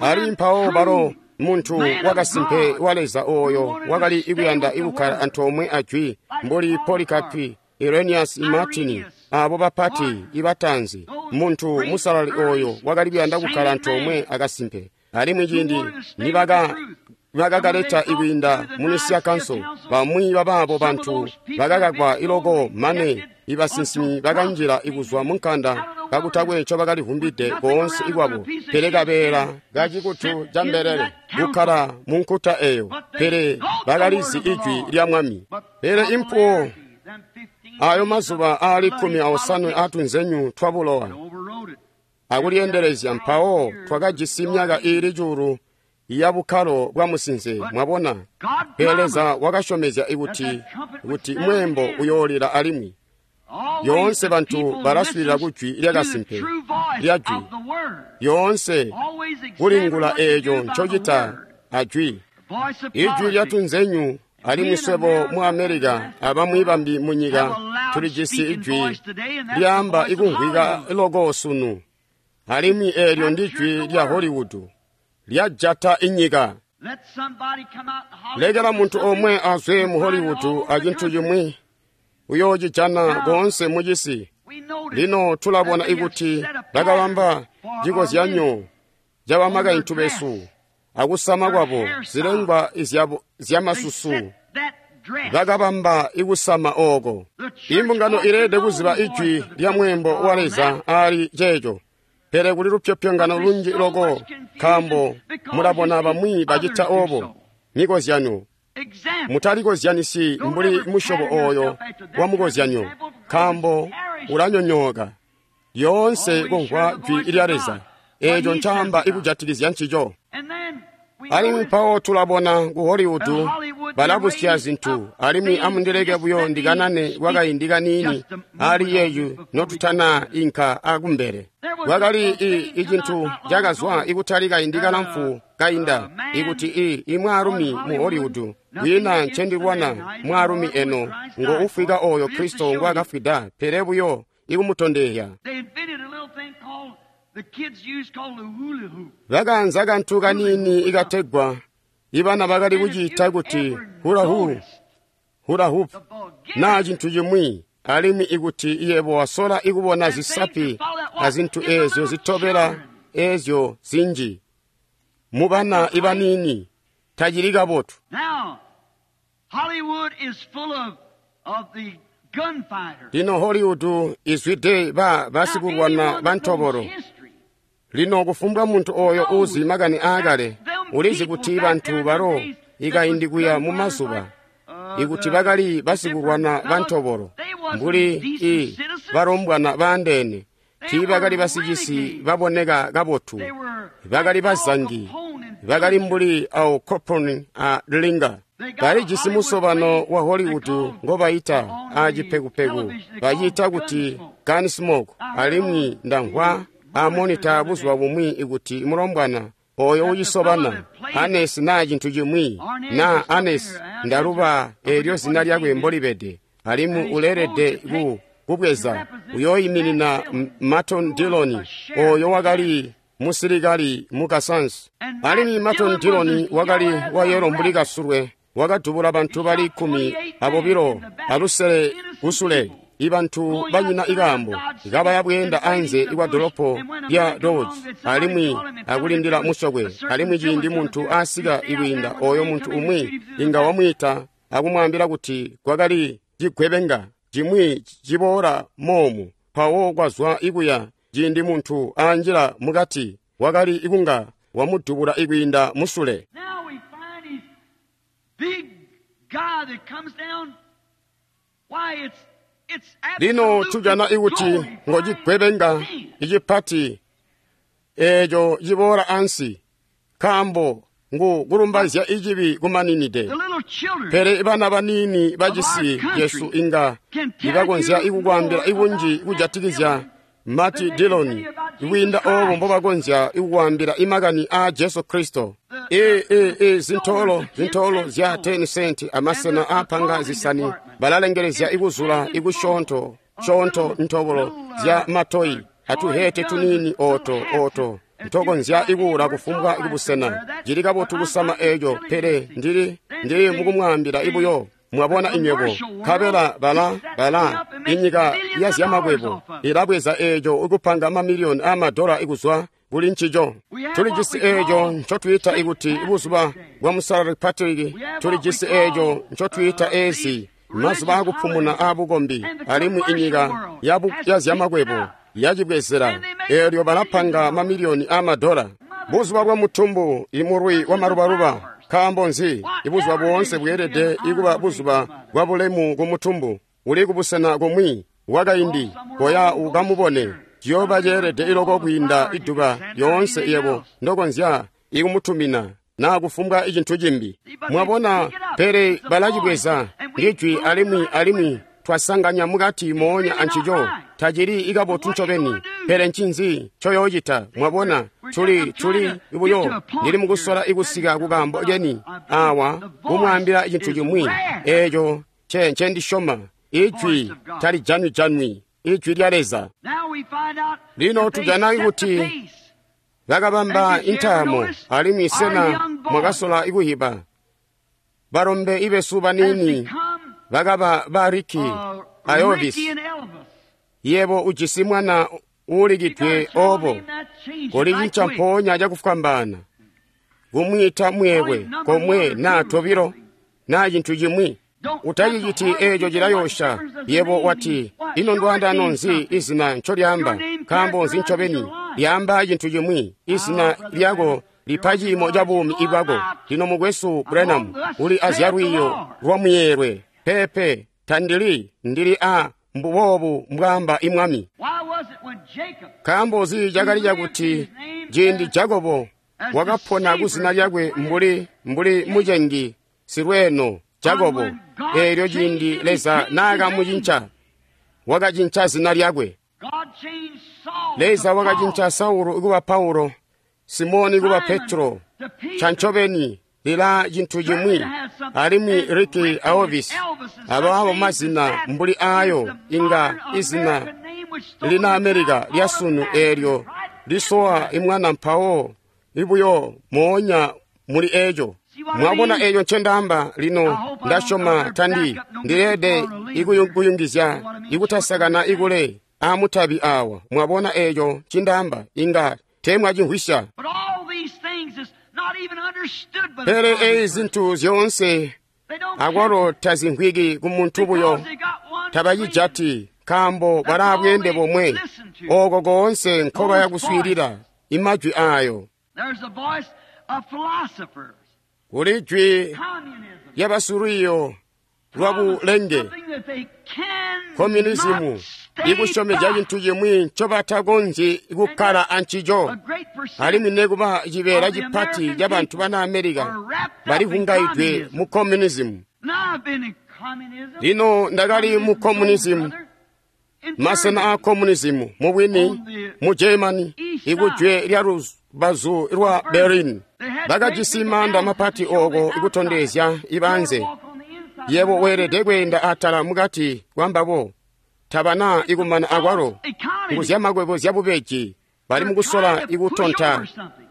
Alimwi mpawo balo muntu wakasimpe wa Leza oyo wakali ikuyanda ikukkala antoomwe ajwi mbuli Polikapi, Irenaeus, Martin, abo bapati ibatanzi, muntu musalali oyo wakali kuyanda kukkala antoomwe akasimpe. Alimwi ciindi nibakakaleta ikwiinda mu Nicea Council, bamwi babaabo bantu bakakakwa iloko mane ibasinsimi bakanjila ikuzwa munkanda kakutakwe ncobakalivumbide koonse ikwabo, pele kabeela kacikutu ca mbelele kukkala munkuta eyo, pele bakalizi ijwi lya Mwami. Pele impuwo ayo mazuba aali 15 atunzenyu twa bulowa akulyendelezya, mpawo twakajisi myaka iili 1,000 ya bukkalo bwa musinze. Mwabona, pele Leza wakasyomezya kuti mweembo uyoolila alimwi. Yoonse bantu balaswiilila kujwi lyakasimpe lya jwi, yoonse kulingula eeco ncocita ajwi, ijwi lyatunzenyu. Alimwi swebo mu Amerika abamwi bambi munyika tulijisi ijwi lyaamba ikumvwika loko sunu, alimwi eelyo ndijwi lya Hollywood lyajata inyika. Lekela muntu omwe azwe mu Hollywood acintu cimwi, uyoocijana koonse mucisi. Lino tulabona ikuti bakabamba cikozyanyo cabamakaintu besu akusama kwabo zilengwa zyamasusu. Bakabamba ikusama ooko. Imbungano ileelede kuziba ijwi lya mweembo wa Leza aali ceeco. Pele kuli lupyopyongano lunji loko, nkaambo mulabona bamwi bacita obo. Mikozyanyo mutalikozyanisi mbuli musyobo oyo wa mukozyanyo, nkaambo ulanyonyooka. Lyoonse kumvwa jwi lya Leza, eeco ncaamba ikujatikizya ncico. Alimwi mpawo tulabona ku Hollywood balabusya zintu, alimwi amundileke buyo ndikanane kwakaindi kaniini ali yeeyu notutana inka akumbele. Kwakali icintu cakazwa ikutali kaindi kalamfu kainda, ikuti imwaalumi mu Hollywood, kwiina ncendilwana mwaalumi eno ngo ufwika oyo Kristo ngwaakafwida, pele buyo ikumutondezya. Bakaanza kantu kaniini ikategwa ibana bakali kuciita kuti hula hoop naa cintu cimwi, alimwi ikuti yebo wasola ikubona zisapi azintu eezyo zitobela eezyo zinji mubana ibaniini. Tacili kabotu. Lino Hollywood izwide ba basikulwana bantobolo. Lino kufumbwa muntu oyo uzi makani aakale ulizi kuti bantu balo ikaindi kuya mu mazuba ikuti bakali basikulwana bantobolo mbuli i balombwana baandeene tiibakali basicisi baboneka kabotu, bakali bazangi, bakali mbuli Al Capone a Linga. Balijisi musobano wa Hollywood ngobayita a cipekupeku baciita kuti Gunsmoke, alimwi ndamvwa a monita buzuba bumwi ikuti mulombwana oyo ucisobana Anes naa cintu cimwi naa Anes, ndaluba eelyo zina lyakwe mbolibede, alimwi uleelede ku kubweza uyooyiminina Martin Dillon oyo wakali musilikali mu Kansas. Alimwi Martin Dillon wakali wayelo mbuli kasulwe, wakadubula bantu bali 25 kusule, ibantu banyina ikaambo kabaya bweenda anze ikwa dolopo lya Dodge alimwi akulindila musokwe. Alimwi ciindi muntu asika ikwiinda oyo muntu umwi inga wamwiita akumwaambila kuti kwakali cigwebenga cimwi ciboola moomu, mpawo kwazwa ikuya. Ciindi muntu anjila mukati wakali ikunga wamudubula ikwiinda musule. Lino tujana ikuti ngocigwebenga icipati eeco ciboola ansi, nkaambo ngu kulumbaizya icibi kumaninide. Pele bana baniini bacisi cesu inga ibakonzya ikukwaambila ikunji kujatikizya Martin Dillon ikwiinda oobo mbobakonzya ikukwaambila imakani aa Jesu Kristo. Zintoolo zya 10 cent amasena aapanga zisani balalengelezya ikuzula ikusyoonto syoonto ntobolo zya matoyi atuhete tuniini ooto ntokonzya ikuula kufumbwa kubusena. Cili kabotu kusama eeco, pele ndili mukumwaambila ibuyo. Mwabona inywebo, nkabela bala inyika ya zyamakwebo ilabweza eeco ikupanga mamiliyoni aamadola ikuzwa kuli ncico. Tulijisi eeco ncotwiita ikuti buzuba bwa Musalali Patrick, tulijisi eeco ncotwiita eezi mazuba akupumuna aabukombi, alimwi inyika ya zyamakwebo yacibwezela eelyo balapanga mamiliyoni aamadola. Buzuba bwa mutumbu, imulwi wa malubaluba. Nkaambo nzi ibuzuba boonse bweelede ikuba buzuba bwa bulemu ku mutumbu uli kubusena kumwi wakaindi koya ukamubone. Ciyooba ceelede iloko kwiinda iduba lyoonse yebo ndokonzya ikumutumina naa kufumbwa icintu cimbi. Mwabona, pele balacibweza ndijwi alimwi twasanganya mukati moonya ancico. Tacili ikabotu ncobeni, pele ncinzi ncoyoocita? Mwabona, tuli buyo ndili mukusola ikusika kukaambo keni awa kumwaambila cintu cimwi eeco ncendisyoma. Ijwi talijanwi-janwi, ijwi lya Leza. Lino tujana kuti bakabamba intaamo, alimwi sena mwakasola ikuhiba balombe ibesu baniini bakaba ba Ricky a Elvis. Yebo ujisi mwana uulikidwe obo, kolicinca mpoonya cakufwambaana kumwiita mweekwe komwe naa tobilo naa cintu cimwi. Utaciciti eeco cilayoosha. Yebo wati, ino ndwaandano nzi izina ncolyaamba? Nkaambo nzi ncobeni lyaamba cintu cimwi? Izina lyako lipa ciimo ca buumi ibwako. Lino mukwesu Branham uli azyalwiiyo lwa muyeelwe. Peepe, tandili, ndili a mbuboobu mbwaamba imwami. Nkaambo nzi cakali cakuti ciindi Jakobo wakapona kuzina lyakwe mbuli mucengi silweeno Jakobo, eelyo ciindi Leza naakamucinca, wakacinca zina lyakwe. Leza wakacinca Saulu kuba Paulo, Simoni kuba Petro. Cancobeni lila cintu cimwi, alimwi Ricky a Elvis abaabo mazina mbuli aayo inga izina lina Amerika lyasunu eelyo lisowa imwana mpawo ibuyo moonya muli eeco. Mwabona eeco ncendaamba? Lino ndasyoma tandi ndileede ikuyungizya ikutasakana ikule aamutabi awa. Mwabona eeco ncindaamba? Inga teemwacimvwisya. Pele eyi zintu zyoonse akwalo tazimvwiki ku muntu buyo, tabacijati nkaambo balaabweende bomwe ooko koonse nkobaya kuswiilila imajwi aayo. Kuli jwi lyabasilwiiyo lwabulenge, komunizimu, ikusyomezya cintu cimwi ncobatakonzyi kukkala ancico. Alimwi nekuba cibeela cipati cabantu bana Amerika balivungaidwe mu komunizimu. Lino ndakali mu komunizimu, masena a komunizimu mubwini mu Germany, ikujwe lya lubazu lwa Berlin. Bakajisi maanda mapati ooko ikutondezya ibanze. Yebo weelede kweenda atala mukati kwambabo. Tabana ikumana akwalo nguzyamakwebo zyabubeji, bali mukusola ikutonta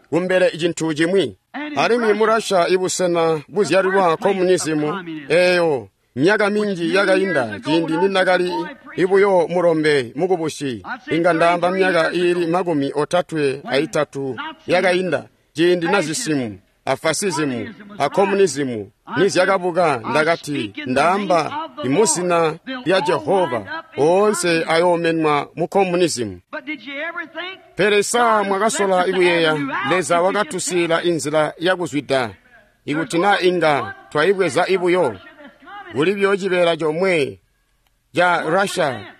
kumbele cintu cimwi. Alimwi mu Russia ibusena buzyalilwa komunizimu eeyo myaka minji yakainda ciindi ninakali ibuyo mulombe mukubusi, inga ndaamba myaka iili 33 yakainda, ciindi nazisimu a fasisimu a komunizimu nizyakabuka, ndakati ndaamba imuzina lya Jehova oonse ayoomenwa mu komunizimu. Pele sa mwakasola ikuyeeya Leza wakatusiila inzila yakuzwida ikuti na inga twayibweza ibuyo? Kuli buyo cibeela comwe ca Russia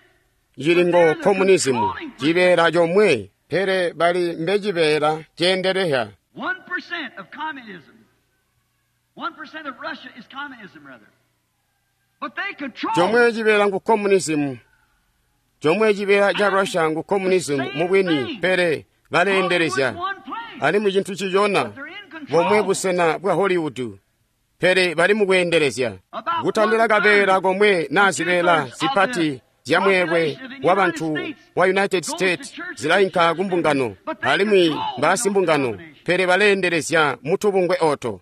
cili ngo komunizimu, cibeela comwe, pele bali mbecibeela ceendelehya. 1% of communism. 1% of Russia is communism, rather. But they control. Chomwe cibeela ngu communism. Chomwe cibeela ca Russia ngu communism mubwini, pele baleendelezya. Alimwi cintu cicona bomwe busena bwa Hollywood, pele bali mukweendelezya. Kutandila kabeela komwe naa zibeela zipati zya mweelwe wabantu wa United States zilainka kumbungano, alimwi mbaasimbungano, pele baleendelezya mutubungwe oto.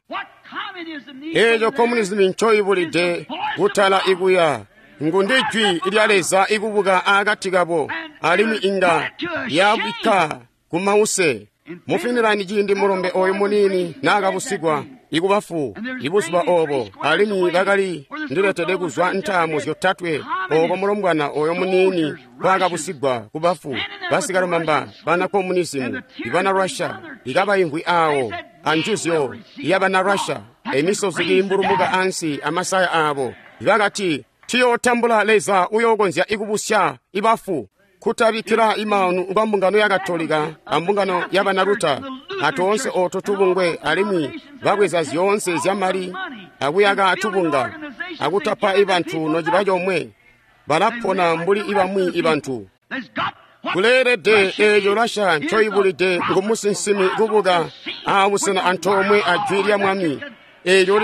Eeco komunizimu ncoibulide kutala ikuya ngu ndi jwi lya Leza ikubuka akati kabo, alimwi inga yabikka kumause. Mu Finland ciindi mulombe oyu muniini naakabusigwa ikubafu ibuzuba oobo, alimwi bakali ndiletede kuzwa ntaamo zyotatwe ooko mulombwana oyo muniini kwaakabusigwa kubafu. Basikalumamba bana komunizimu ibana Russia ikabaimvwi aawo anjuzyo yabana Russia, emisozi kiimbulumuka ansi amasaya aabo, bakati tiyootambula Leza uyookonzya ikubusya ibafu. Kutabikkila imaanu kwa mbungano ya Katolika ambungano ya Banaluta atoonse ooto tubungwe, alimwi babweza zyoonse zyamali akuyaka tubunga akutapa ibantu nociba comwe, balapona mbuli ibamwi ibantu. Kuleelede eeco Russia ncoibulide ngu musinsimi kubuka aabusena antoomwe ajwi lya Mwami, eelyo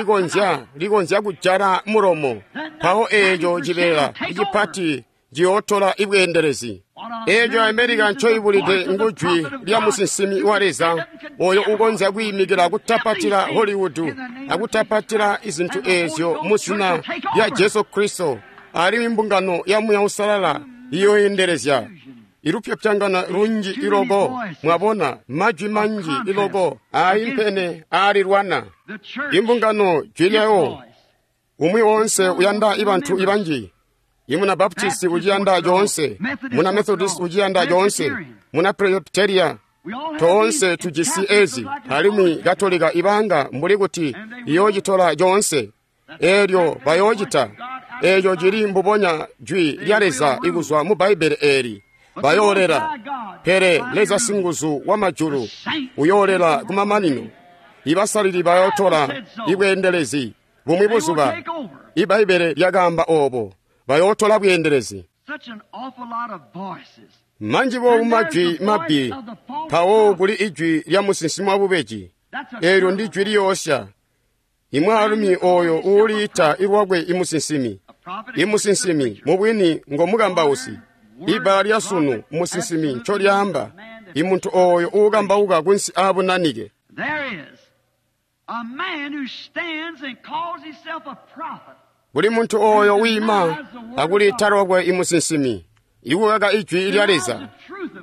likonzya kujala mulomo, mpawo eeco cibeela icipati ciyootola ibweendelezi. Eeco Amerika ncoibulide ngujwi lya musinsimi wa Leza oyo ukonzya kwiimikila kutapatila Hollywood akutapatila izintu eezyo mu zina lya Jesu Kristo, alimwi mbungano ya Muuya Uusalala iyooyendelezya. Ilupyopyangana lunji iloko, mwabona, majwi manji iloko aayimpene aalilwana. Imbungano jwi lyayo, umwi woonse uyanda ibantu ibanji. Imuna Baptisti uciyanda coonse, muna Methodist uciyanda coonse, muna Presbyteria toonse tujisi ezi, alimwi Katolika ibanga mbuli kuti iyoocitola coonse. Eelyo bayoocita. Eeco cili mbubonya jwi lya Leza ikuzwa mu Bbaibbele eeli. Bayoolela, pele Leza singuzu wamajulu uyoolela kumamanino. Ibasalili bayootola ibweendelezi bumwi buzuba. Ibbaibbele lyakaamba oobo. Bayootola bweendelezi. Manji boobu majwi mabbi, mpawo kuli ijwi lya musinsimi wabubeji. Eelyo ndi jwi liyoosya. Imwaalumi oyo uuliita ilwakwe imusinsimi. Imusinsimi mubwini ngo mukambausi. Ibbala lya sunu musinsimi ncolyaamba imuntu oyo uukambauka kunsi aabunanike. Kuli muntu oyo wiima akuliita lwakwe imusinsimi, ikukaka ijwi lya Leza,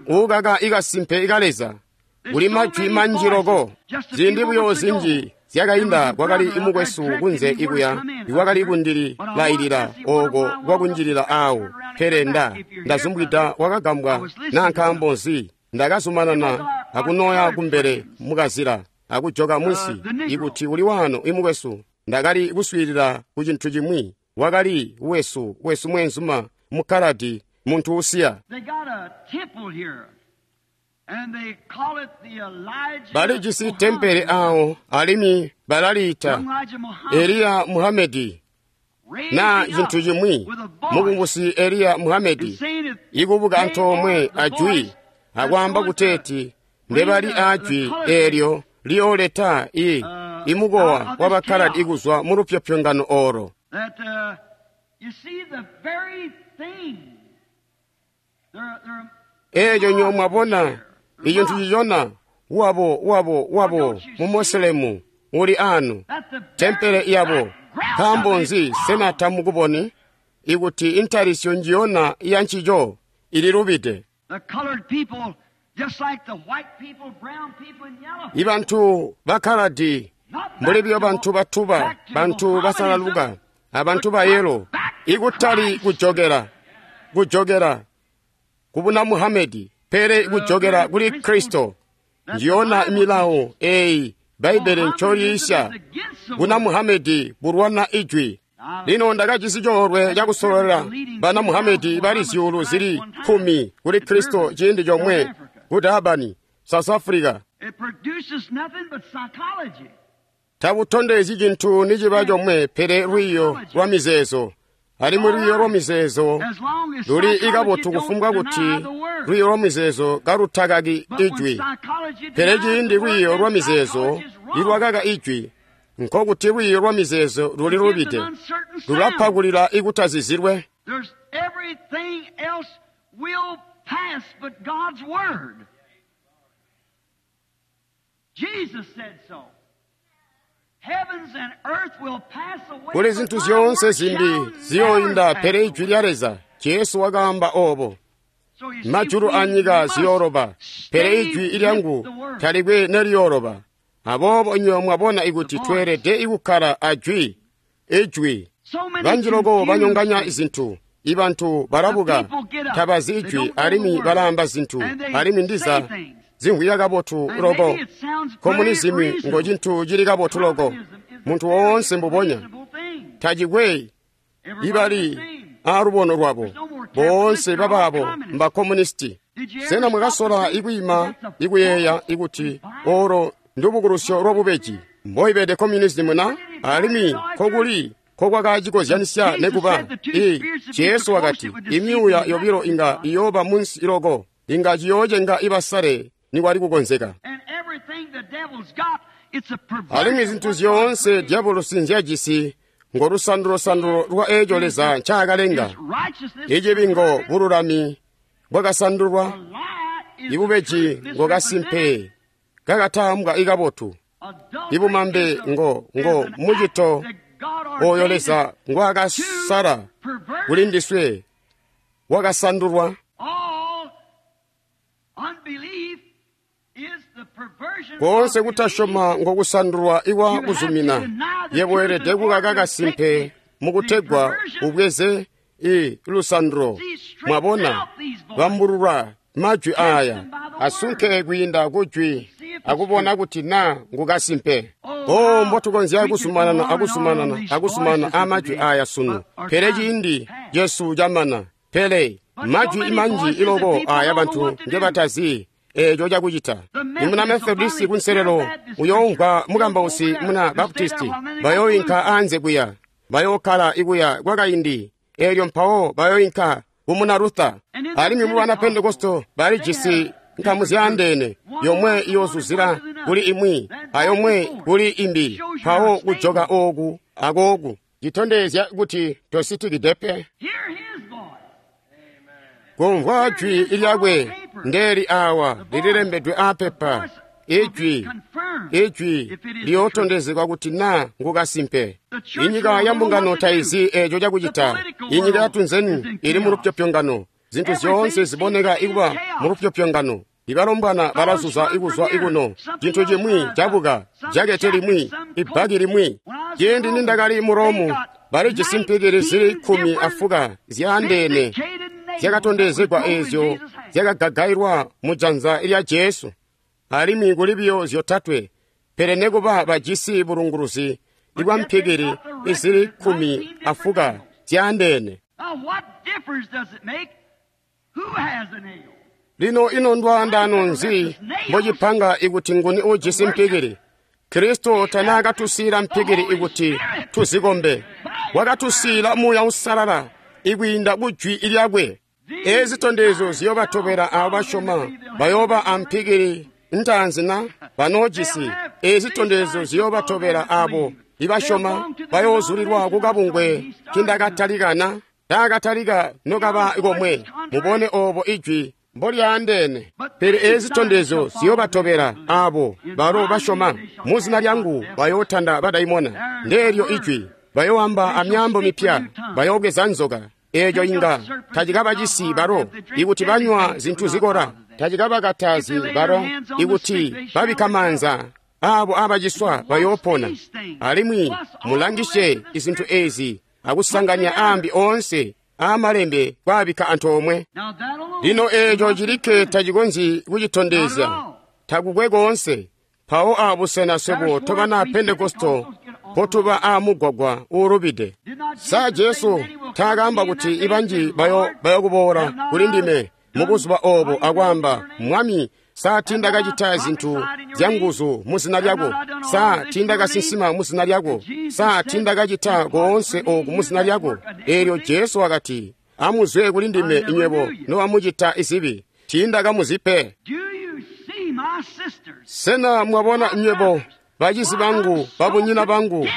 uukaka ikasimpe ka Leza, Kuli majwi manji loko. Ziindi buyo zinji zyakainda kwakali mukwesu kunze ikuya iwakali kundililailila ooko kwakunjilila aawo, pele ndazumbwida wakagambwa naa nkaambo nzi. Ndakazumanana akunoya kumbele mukazila akujoka munsi ikuti uli waano imukwesu. Ndakali kuswiilila ku cintu cimwi. Wakali wesu mweenzuma mukkaladi, muntu usiya. Balijisi tempele awo alimwi balaliita Eliya Muhamedi naa cintu cimwi, mukungusi Eliya Muhamedi, ikubuka antoomwe ajwi akwaamba kuteeti ndebali ajwi eelyo liyooleta imukowa wabakkaladi kuzwa mu lupyopyongano olo. Eeco nyo mwabona icintu cicona wabo mu Moselemu uli anu tempele yabo. Nkaambo nzi sena tamukuboni ikuti intalisyo njiyona ya ncico ililubide? Ibantu bakkaladi mbuli biyo bantu batuba, bantu basalaluka, abantu bayelo, ikutali kujokela kubuna Muhamedi, pele kujokela kuli Kristo. Njiyona milawo eyi Bbaibele ncoliisya. Buna Muhamedi bulwana ijwi. Lino ndakajisi coolwe cakusololela bana Muhamedi bali zyuulu zili 10 kuli Kristo ciindi comwe ku Durban, South Africa. Tabutondezyi cintu niciba comwe pele lwiiyo lwa mizeezo. Alimwi lwiiyo lwa mizeezo luli ikabotu kufumbwa kuti lwiiyo lwa mizeezo kalutakaki ijwi. Pele ciindi lwiiyo lwa mizeezo ilwakaka ijwi, nkokuti lwiiyo lwa mizeezo luli lubide, lulapa kulila ikutazizilwe. Kuli zintu zyoonse zimbi ziyoinda pele ijwi lya Leza. Jesu wakaamba obo. Majulu anyika ziyooloba, pele ijwi lyangu talikwe neliyooloba. Aboobo nywebo mwabona ikuti tweelede ikukkala ajwi, ijwi. Banji loko banyonganya zintu. Ibantu balabuka, tabazi ijwi alimwi balaamba zintu, alimwi ndiza zimvwika kabotu loko. Komunizimu ngo cintu cili kabotu loko. Muntu woonse mbubonya tacikwe ibali aalubono lwabo. Boonse babaabo mbakomunisti. Sena mwakasola ikwiima ikuyeeya ikuti olo ndubukulusyo lwabubeji mboibede komunizimu na? Alimwi kokuli kokwakacikozyanisya nekuba Jesu wakati imyuuya yobilo inga iyooba munsi loko, inga ciyoocenga ibasale nikwali kukonzeka. Alimwi zintu zyoonse dyabolosi nzyajisi ngo lusandulo-sandulo lwa eeco Leza ncaakalenga. Icibi ngo bululami bwakasandulwa, ibubeji ngo kasimpe kakatambwa ikabotu, ibumambe ngo mucito oyo Leza ngwaakasala kuli ndiswe wakasandulwa. Koonse kutasyoma ngokusandulwa ikwa kuzumina. Yebo weelede kukaka kasimpe mukutegwa ubweze lusandulo. Mwabona, bambulula majwi aaya asunke kwiinda kujwi akubona kuti naa ngukasimpe. Oh, mbotukonzya kuzumanana akuzumanana akuzumanana amajwi aaya sunu, pele ciindi cesu camana. Pele majwi manji iloko aaya bantu ngebatazi eeco cakucita. Imuna Methodisi kunselelo uyoomvwa mukambausi muna Baptisti, bayooyinka anze kuya, bayookkala ikuya kwakaindi, eelyo mpawo bayooyinka kumuna Luther. Alimwi mu bana Pentekosto balijisi nkamu zyaandeene, yomwe iyoozuzila kuli imwi ayomwe kuli imbi, mpawo kujoka ooku akooku, citondezya kuti tositikide pe. Kumvwa jwi lyakwe ndeli awa lililembedwe aapepa. Ijwi liyootondezekwa kuti naa ngukasimpe. Inyika ya mbungano taizi eeco cakucita. Inyika yatunzeni ili mulupyopyongano. Zintu zyoonse ziboneka ikuba mulupyopyongano. Ibalombwana balazuza ikuzwa ikuno, cintu cimwi cabuka, jakete limwi, ibbaki limwi. Ciindi nindakali mu Romu, balijisi mpikili zili 14 zyaandeene zyakatondezegwa eezyo zyakagagailwa mu janza lya Jesu, alimwi kuli biyo 3, pele nekuba bajisi bulunguluzi bwa mpikili izili 14 zyaandeene. Lino ino ndwaandano nzi mbocipanga ikuti nguni ujisi mpikili? Kristo tanaakatusiila mpikili ikuti tuzikombe. Wakatusiila Muuya Uusalala ikwiinda kujwi lyakwe. Eezi zitondezyo ziyoobatobela aabo basyoma, bayooba ampikili ntaanzi na banoojisi. Eezi zitondezyo ziyoobatobela aabo ibasyoma, bayoozulilwa kukabungwe kindakatalika na taakatalika nokaba komwe. Mubone oobo ijwi mbolyaandeene. Pele eezi zitondezyo ziyoobatobela aabo balo basyoma. Muzina lyangu bayootanda badaimona. Ndeelyo ijwi. Bayoowamba amyaambo mipya, bayoobweza nzoka. Eeco inga tacikabacisi balo ikuti banywa zintu zikola, tacikabakatazi balo ikuti babikka maanza aabo abaciswa bayoopona. Alimwi mulangisye izintu eezi akusanganya aambi oonse aamalembe kwaabikka antoomwe. Lino eeco cilikke tacikonzyi kucitondezya, takukwe koonse. Mpawo aabusena swebo tobana Pentekosto mpotuba aamugwagwa uulubide. Sa Jesu taakaamba kuti ibanji bayokuboola kuli ndime mubuzuba oobo akwaamba, Mwami, sa tiindakacita zintu zyanguzu muzina lyako? Sa tiindakasinsima muzina lyako? Sa tiindakacita koonse ooku muzina lyako? Eelyo Jesu wakati, amuzwe kuli ndime inywebo nobamucita izibi, tiindakamuzi pe. Sena mwabona nywebo bacizi bangu, babunyina bangu,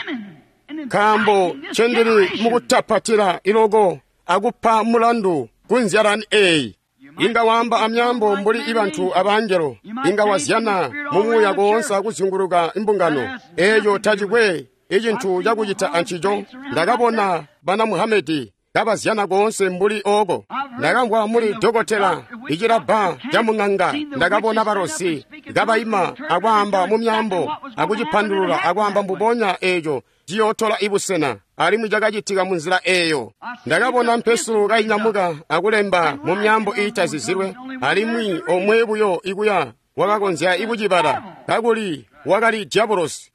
nkaambo ncendili mukutapatila iloko akupa mulandu kunzyalani eeyi. Inga waamba amyaambo mbuli ibantu abangelo, inga wazyana mumuuya koonse akuzyunguluka imbungano. Eeco tacikwe icintu cakucita ancico. Ndakabona bana Muhamedi kabazyana koonse mbuli ooko. Ndakamvwa muli dokotela icilabba camung'anga. Ndakabona balosi kabaima akwaamba mu myaambo akucipandulula akwaamba mbubonya eeco ciyootola ibusena, alimwi cakacitika munzila eeyo. Ndakabona mpesulo kainyamuka akulemba mu myaambo iitazizilwe, alimwi omwe buyo ikuya wakakonzya ikucibala, kakuli wakali diabolosi.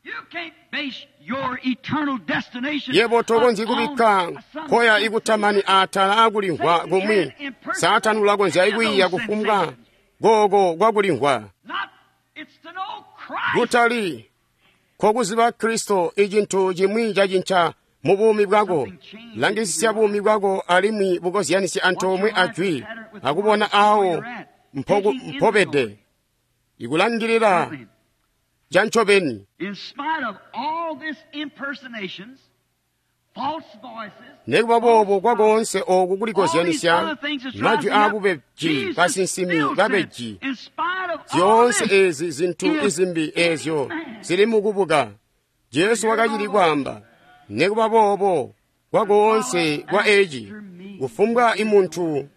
Yebo tokonzyi kubikka nkoya ikutamani atala akulimvwa kumwi. Saatani ulakonzya ikwiiya kufumbwa kooko kwakulimvwa. Kutali kokuziba Kristo icintu cimwi cacinca mu buumi bwako. Langisisya buumi bwako alimwi bukozyanisye antoomwe ajwi akubona aawo mpobede. Ikulangilila cancobeni. Nekuba boobo kwakoonse ooku kulikozyanisya, majwi aabubeji, basinsimi babeji, zyoonse eezi zintu izimbi eezyo zili mukubuka. Jesu wakacili kwaamba, nekuba boobo kwakoonse kwa eeci, kufumbwa imuntu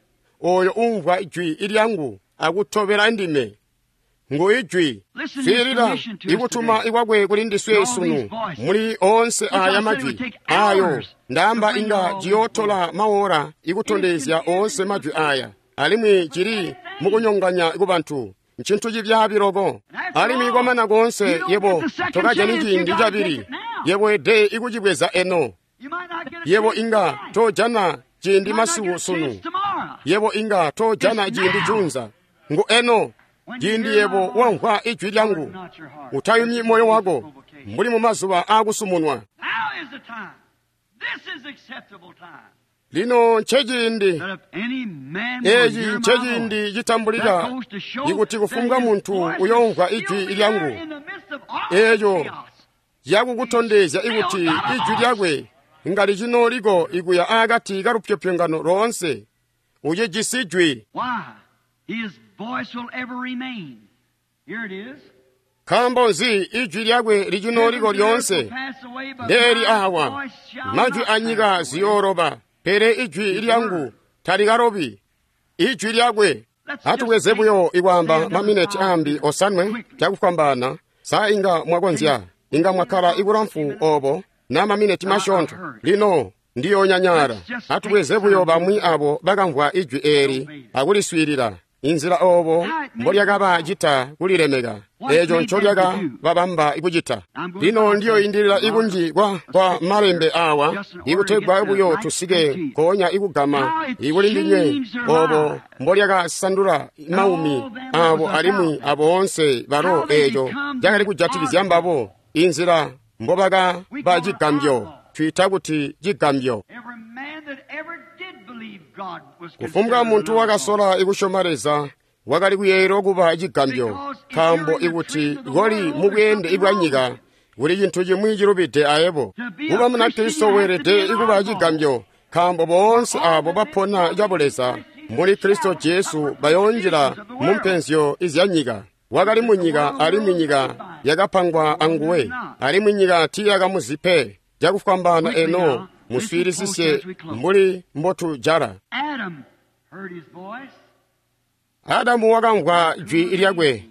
ooyo umvwa ijwi lyangu akutobela ndime, ngu ijwi. Swiilila ikutuma ikwakwe kuli ndiswe sunu muli oonse aaya majwi ayo ndaamba inga ciyootola maora ikutondezya oonse majwi aya, alimwi cili mukunyonganya kubantu. Ncintu cibyaabi loko. Alimwi kwamana koonse yebo tokajani ciindi cabili, yebo ede ikucibweza eno. Yebo inga tojana ciindi masiku sunu, yebo inga tojana ciindi junza. Ngu eno ciindi yebo wamvwa ijwi lyangu, utayumyi moyo wako mbuli mu mazuba aakusumunwa. Lino nceciindi eeci nceciindi citambulika ikuti kufumbwa muntu uyoomvwa ijwi lyangu, eeco ciyakukutondezya ikuti ijwi lyakwe ngali cinooliko ikuya aakati kalupyopyongano loonse. Ucijisi jwi. Nkaambo nzi ijwi lyakwe licinooliko lyoonse? Ndeeli awa, majwi anyika ziyooloba, pele ijwi lyangu talikalobi. Ijwi lyakwe. Atubweze buyo ikwaamba mamineti ambi osanwe cakufwambaana. Sa inga mwakonzya, inga mwakkala ikulamfu obo na mamineti masyoonto. Lino ndiyonyanyala. Atubweze buyo bamwi abo bakamvwa ijwi eeli akuliswiilila. Inzila obo mbolyakaba cita kulilemeka, eeco ncolyaka babamba kucita. Lino ndiyoindilila ikunji kwa malembe awa ikutegwa buyo tusike nkoonya ikugama ikuli ndinywe obo mbolyakasandula maumi abo alimwi aboonse balo eeco cakali kujatikizya mbabo, inzila mbobakaba cigambyo. Twiita kuti cigambyo. Kufumbwa muntu wakasola ikusyoma Leza wakali kuyeeyelwa kuba cigambyo, nkaambo ikuti koli mubweende bwa nyika kuli cintu cimwi cilubide ayebo. Kuba Munakristo weelede kuba cigambyo, nkaambo boonse abo bapona cabuleza muli Kristo Jesu bayoonjila mu mpenzyo izyanyika. Wakali munyika alimwi nyika yakapangwa anguwe, alimwi nyika tiiyakamuzi pe. Cakufwambaana eno muswiilisisye mbuli mbotujala. Adamu wakamvwa jwi lyakwe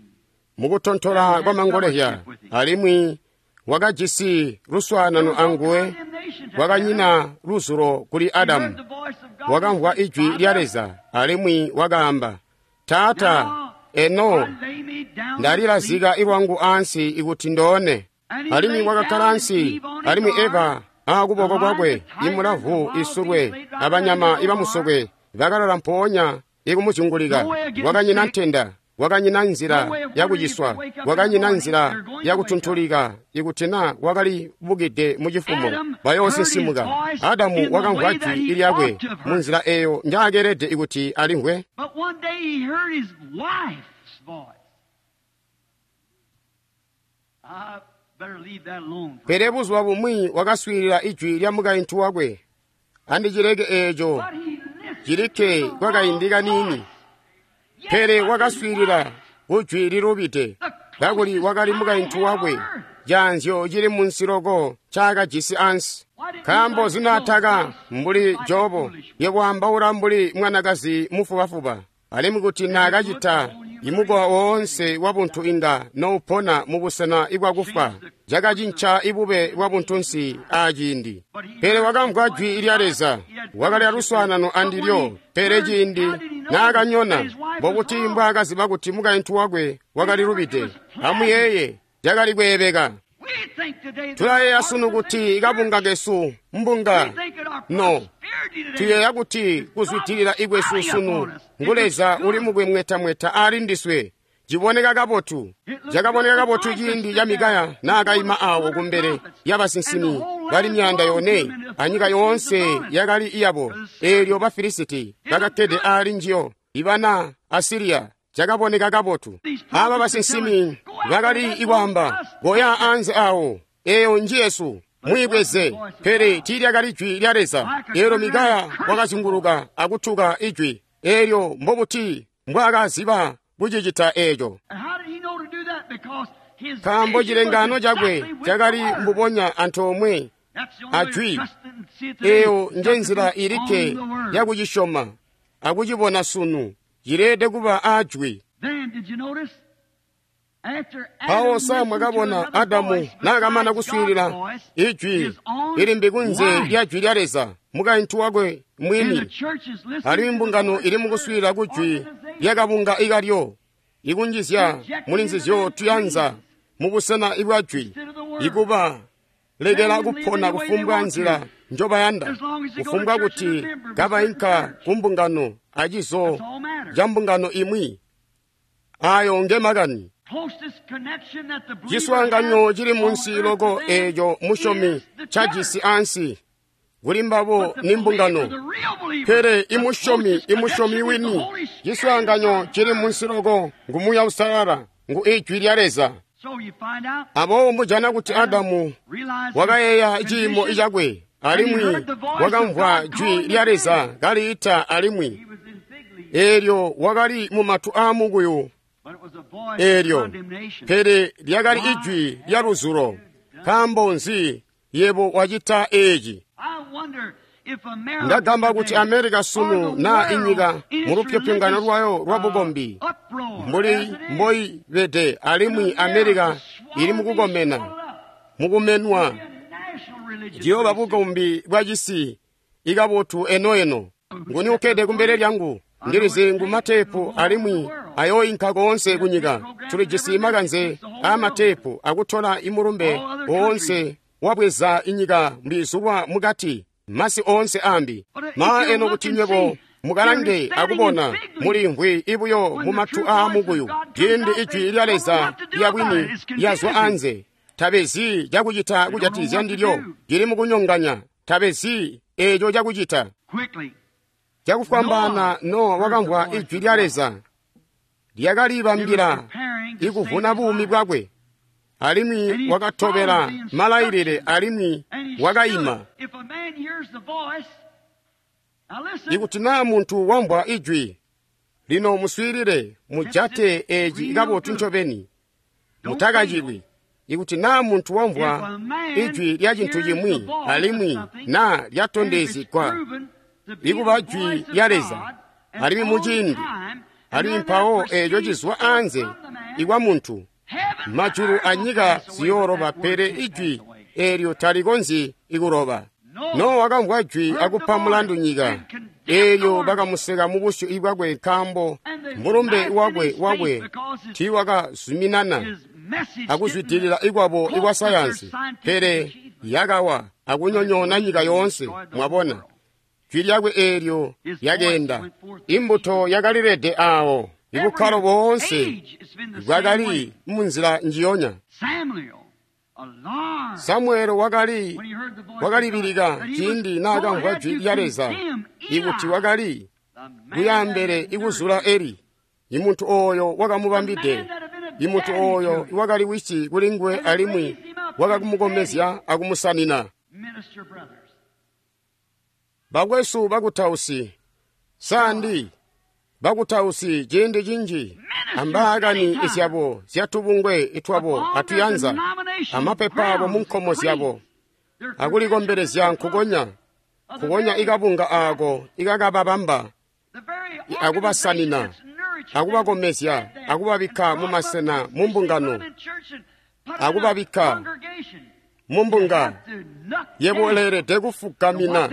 mukutontola kwa mangolezya, alimwi wakajisi luswaanano anguwe. Wakanyina luzulo kuli Adamu. Wakamvwa ijwi lya Leza alimwi wakaamba, Taata, eno ndalilazika ilwangu ansi ikuti ndoone. Alimwi wakakkala ansi, alimwi Eva aakuboko kwakwe imulavu isulwe abanyama ibamusokwe bakalala mpoonya ikumuzyungulika. Wakanyina ntenda, wakanyina nzila yakuciswa, wakanyina nzila yakutuntulika. Ikuti na wakali bukide mucifumo bayoosinsimuka. Adamu wakamvwa jwi lyakwe munzila eyo njaakeelede ikuti alimvwe. Pele buzuba bumwi wakaswiilila ijwi lya mukaintu wakwe. Andicileke eeco cilikke kwakaindi kaniini. Pele wakaswiilila kujwi lilubide, kakuli wakali mukaintu wakwe, caanzyo cili munsi loko ncaakajisi ansi. Nkaambo zinaataka mbuli Jobo, yekwaambaula mbuli mwanakazi mufubafuba, alimwi kuti naakacita imukowa woonse wabuntu inga noupona mubusena ibwakufa. Cakacinca ibube bwa buntunsi aaciindi. Pele wakamvwa jwi lya Leza, wakali aluswaanano andilyo. Pele ciindi naakanyona, mbokuti mbwaakaziba kuti mukaintu wakwe wakali lubide. Amuyeeye, cakali kweebeka. Tulayeeya sunu kuti kabunga kesu mbunga no. Tuyeeya kuti kuzwidilila ikwesu sunu ngu Leza uli mukumwetamweta ali ndiswe. Ciboneka kabotu. Cakaboneka kabotu ciindi ca Mikaya naakaima awo kumbele yabasinsimi bali 400 anyika yoonse yakali iyabo, eelyo Bafilisiti bakakkede ali njiyo, ibana Asiriya. Cakaboneka kabotu. Aba basinsimi bakali ikwaamba, koya anze awo, eyo njiyesu, mwiibweze. Pele tiilyakali jwi lya Leza. Eelyo Mikaya wakazunguluka akutuka ijwi eelyo. Mbobuti mbwaakaziba kucicita eeco? Nkaambo cilengaano cakwe cakali mbubonya antoomwe ajwi. Eeyo njenzila ilikke yakucisyoma akucibona sunu. Cileede kuba aajwi. Mpawo sa mwakabona Adamu naakamana kuswiilila ijwi ilimbi kunze lya jwi lya Leza, mukaintu wakwe mwini, alimwi mbungano ili mukuswiilila kujwi lyakabunga ikalyo, ikunjizya muli nzizyo tuyanza mubusena ibwa jwi, ikuba lekela kupona kufumbwa nzila njobayanda, kufumbwa kuti kabainka kumbungano acizo ca mbungano imwi. Ayo nge makani. Ciswaanganyo cili munsi loko eeco musyomi cajisi ansi kuli mbabo ni mbungano. Pele imusyomi wini, ciswaanganyo cili munsi loko ngu Muuya Uusalala, ngu Ijwi lya Leza. Aboobo mujana kuti Adamu wakayeeya ciimo cakwe, alimwi wakamvwa jwi lya Leza kaliita alimwi. Eelyo wakali mumatu aamukuyu eelyo, pele lyakali ijwi lya luzulo. Nkaambo nzi yebo wacita eeci? Ndagamba kuti America sunu na inyika mu lupyopyongano lwayo lwa bukombi mbuli mboyibede, alimwi America ili mukukomena mukumenwa ciyooba bukombi bwa cisi ikabotu enoeno. Nguni ukkede kumbele lyangu? Ndilizi ngu mateepu alimwi ayooyinka koonse kunyika. Tulijisi makanze aamateepu akutola imulumbe woonse wabweza inyika mbizulwa mukati masi oonse ambi. Ma eno kuti nywebo mukalange akubona mulimvwi ibuyo mumatu aamukuyu ciindi ijwi lya Leza lya bwini lyazwa anze. Tabezi cakucita kujatizya ndilyo, cili mukunyonganya. Tabezi eeco cakucita. Cakufwambaana Nowa wakamvwa ijwi lya Leza lyakalibambila ikuvuna buumi bwakwe, alimwi wakatobela malailile alimwi wakaima. Ikuti naa muntu wamvwa ijwi, lino muswiilile, mujate eeci kabotu ncobeni, mutakacilwi. Ikuti naa muntu wamvwa ijwi lya cintu cimwi alimwi naa lyatondezegwa ikuba jwi lya Leza, alimwi muciindi, alimwi mpawo eeco cizwa anze ikwa muntu, majulu anyika ziyooloba, pele ijwi eelyo talikonzyi ikuloba. Nowa wakamvwa jwi akupa mulandu nyika, eelyo bakamuseka mubusyu bwakwe nkaambo mulumbe wakwe tiiwakazuminana akuzwidilila ikwabo ikwa sayansi, pele yakawa akunyonyoona nyika yoonse. Mwabona, jwi lyakwe eelyo lyakeenda, imbuto yakalilede aawo. Ibukkalo boonse bwakali munzila njiyonya. Samuele wakalibilika ciindi naakamvwa jwi lya Leza ikuti wakali kuyaambele ikuzula Eli, imuntu ooyo wakamubambide, imuntu ooyo iwakali wisi kulinguwe alimwi wakakumukomezya akumusanina. Bakwesu bakutausi, sandi bakutausi ciindi cinji ambaakani izyabo zyatubungwe itwabo atuyanza amapepa abo munkomo zyabo akulikombelezya nkukonya nkukonya ikabunga aako ikakababamba akubasanina akubakomezya akubabikka mumasena mumbungano akubabikka mumbunga. Yebo uleelede kufugamina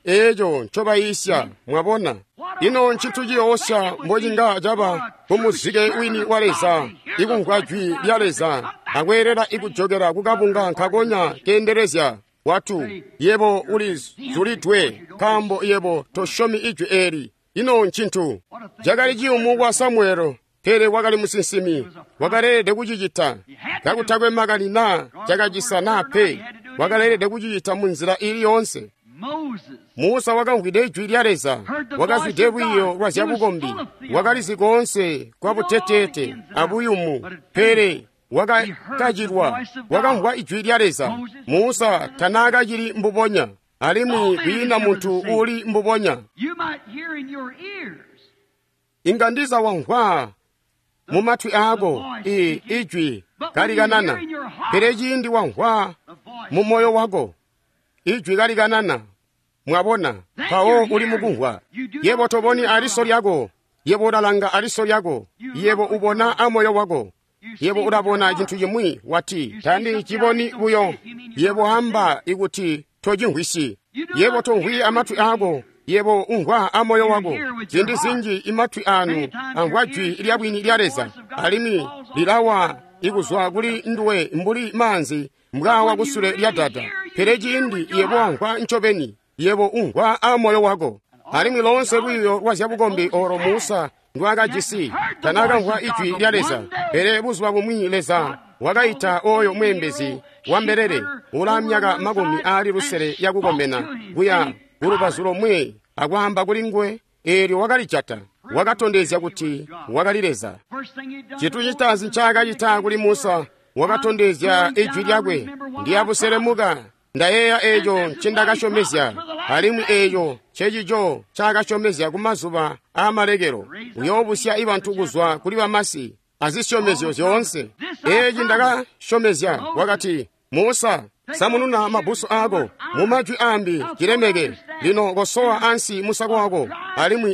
eeco ncobayiisya. Mwabona, ino ncintu ciyoosya mbocinga caba kumuzike wini wa Leza ikumvwa jwi lya Leza akweelela ikujokela kukabunga nkakonya keendelezya watu. Yebo ulizulidwe nkaambo yebo tosyomi ijwi eeli. Ino ncintu cakali ciyumu kwa Samuele, pele wakali musinsimi, wakaleelede kucicita kakutakwe makani naa cakacisa naa pe, wakaleelede kucicita munzila ili yoonse. Musa wakamvwide ijwi lya Leza, wakazwide lwiiyo lwa zyabukombi, wakalizi koonse kwa buteteete abuyumu, pele wakakacilwa. Wakamvwa ijwi lya Leza. Musa tanaakacili mbubonya, alimwi kwiina muntu uuli mbubonya. Inga ndiza wamvwa mumatwi aako ijwi kalikanana, pele ciindi wamvwa mu moyo wako ijwi kalikanana, mwabona, mpawo uli mukumvwa. Yebo toboni aliso lyako, yebo ulalanga aliso lyako, yebo ubona amoyo wako. Yebo ulabona cintu cimwi wati, tandi ciboni buyo. Yebo amba ikuti tocimvwisi. Yebo tomvwi amatwi aako, yebo umvwa amoyo wako. Ziindi zinji imatwi anu amvwa jwi lyabwini lya Leza, alimwi lilawa ikuzwa kuli nduwe mbuli maanzi mbwawa kusule lya dada. Pele ciindi yebo wamvwa ncobeni, yebo umvwa amoyo wako. Alimwi loonse lwiiyo lwa zyabukombi olo Musa ndwaakajisi, tanaakamvwa ijwi lya Leza. Pele buzuba bumwi Leza wakaita oyo mweembezi wa mbelele ulaa myaka 60 yakukomena kuya kulubazu lomwe akwaamba kuli nguwe, eelyo wakalijata. Wakatondezya kuti wakali Leza. Cintu citaanzi ncaakacita kuli Musa, wakatondezya ijwi lyakwe, ndiyabuselemuka ndayeeya eeco ncindakasyomezya, alimwi eeco ncecico ncaakasyomezya kumazuba aamalekelo. Uyoobusya ibantu kuzwa kuli bamasi azisyomezyo zyoonse. Eeci ndakasyomezya, wakati Musa, Samununa mabbusu aako. Mu majwi aambi, cilemeke. Lino kosowa ansi musako wako. Alimwi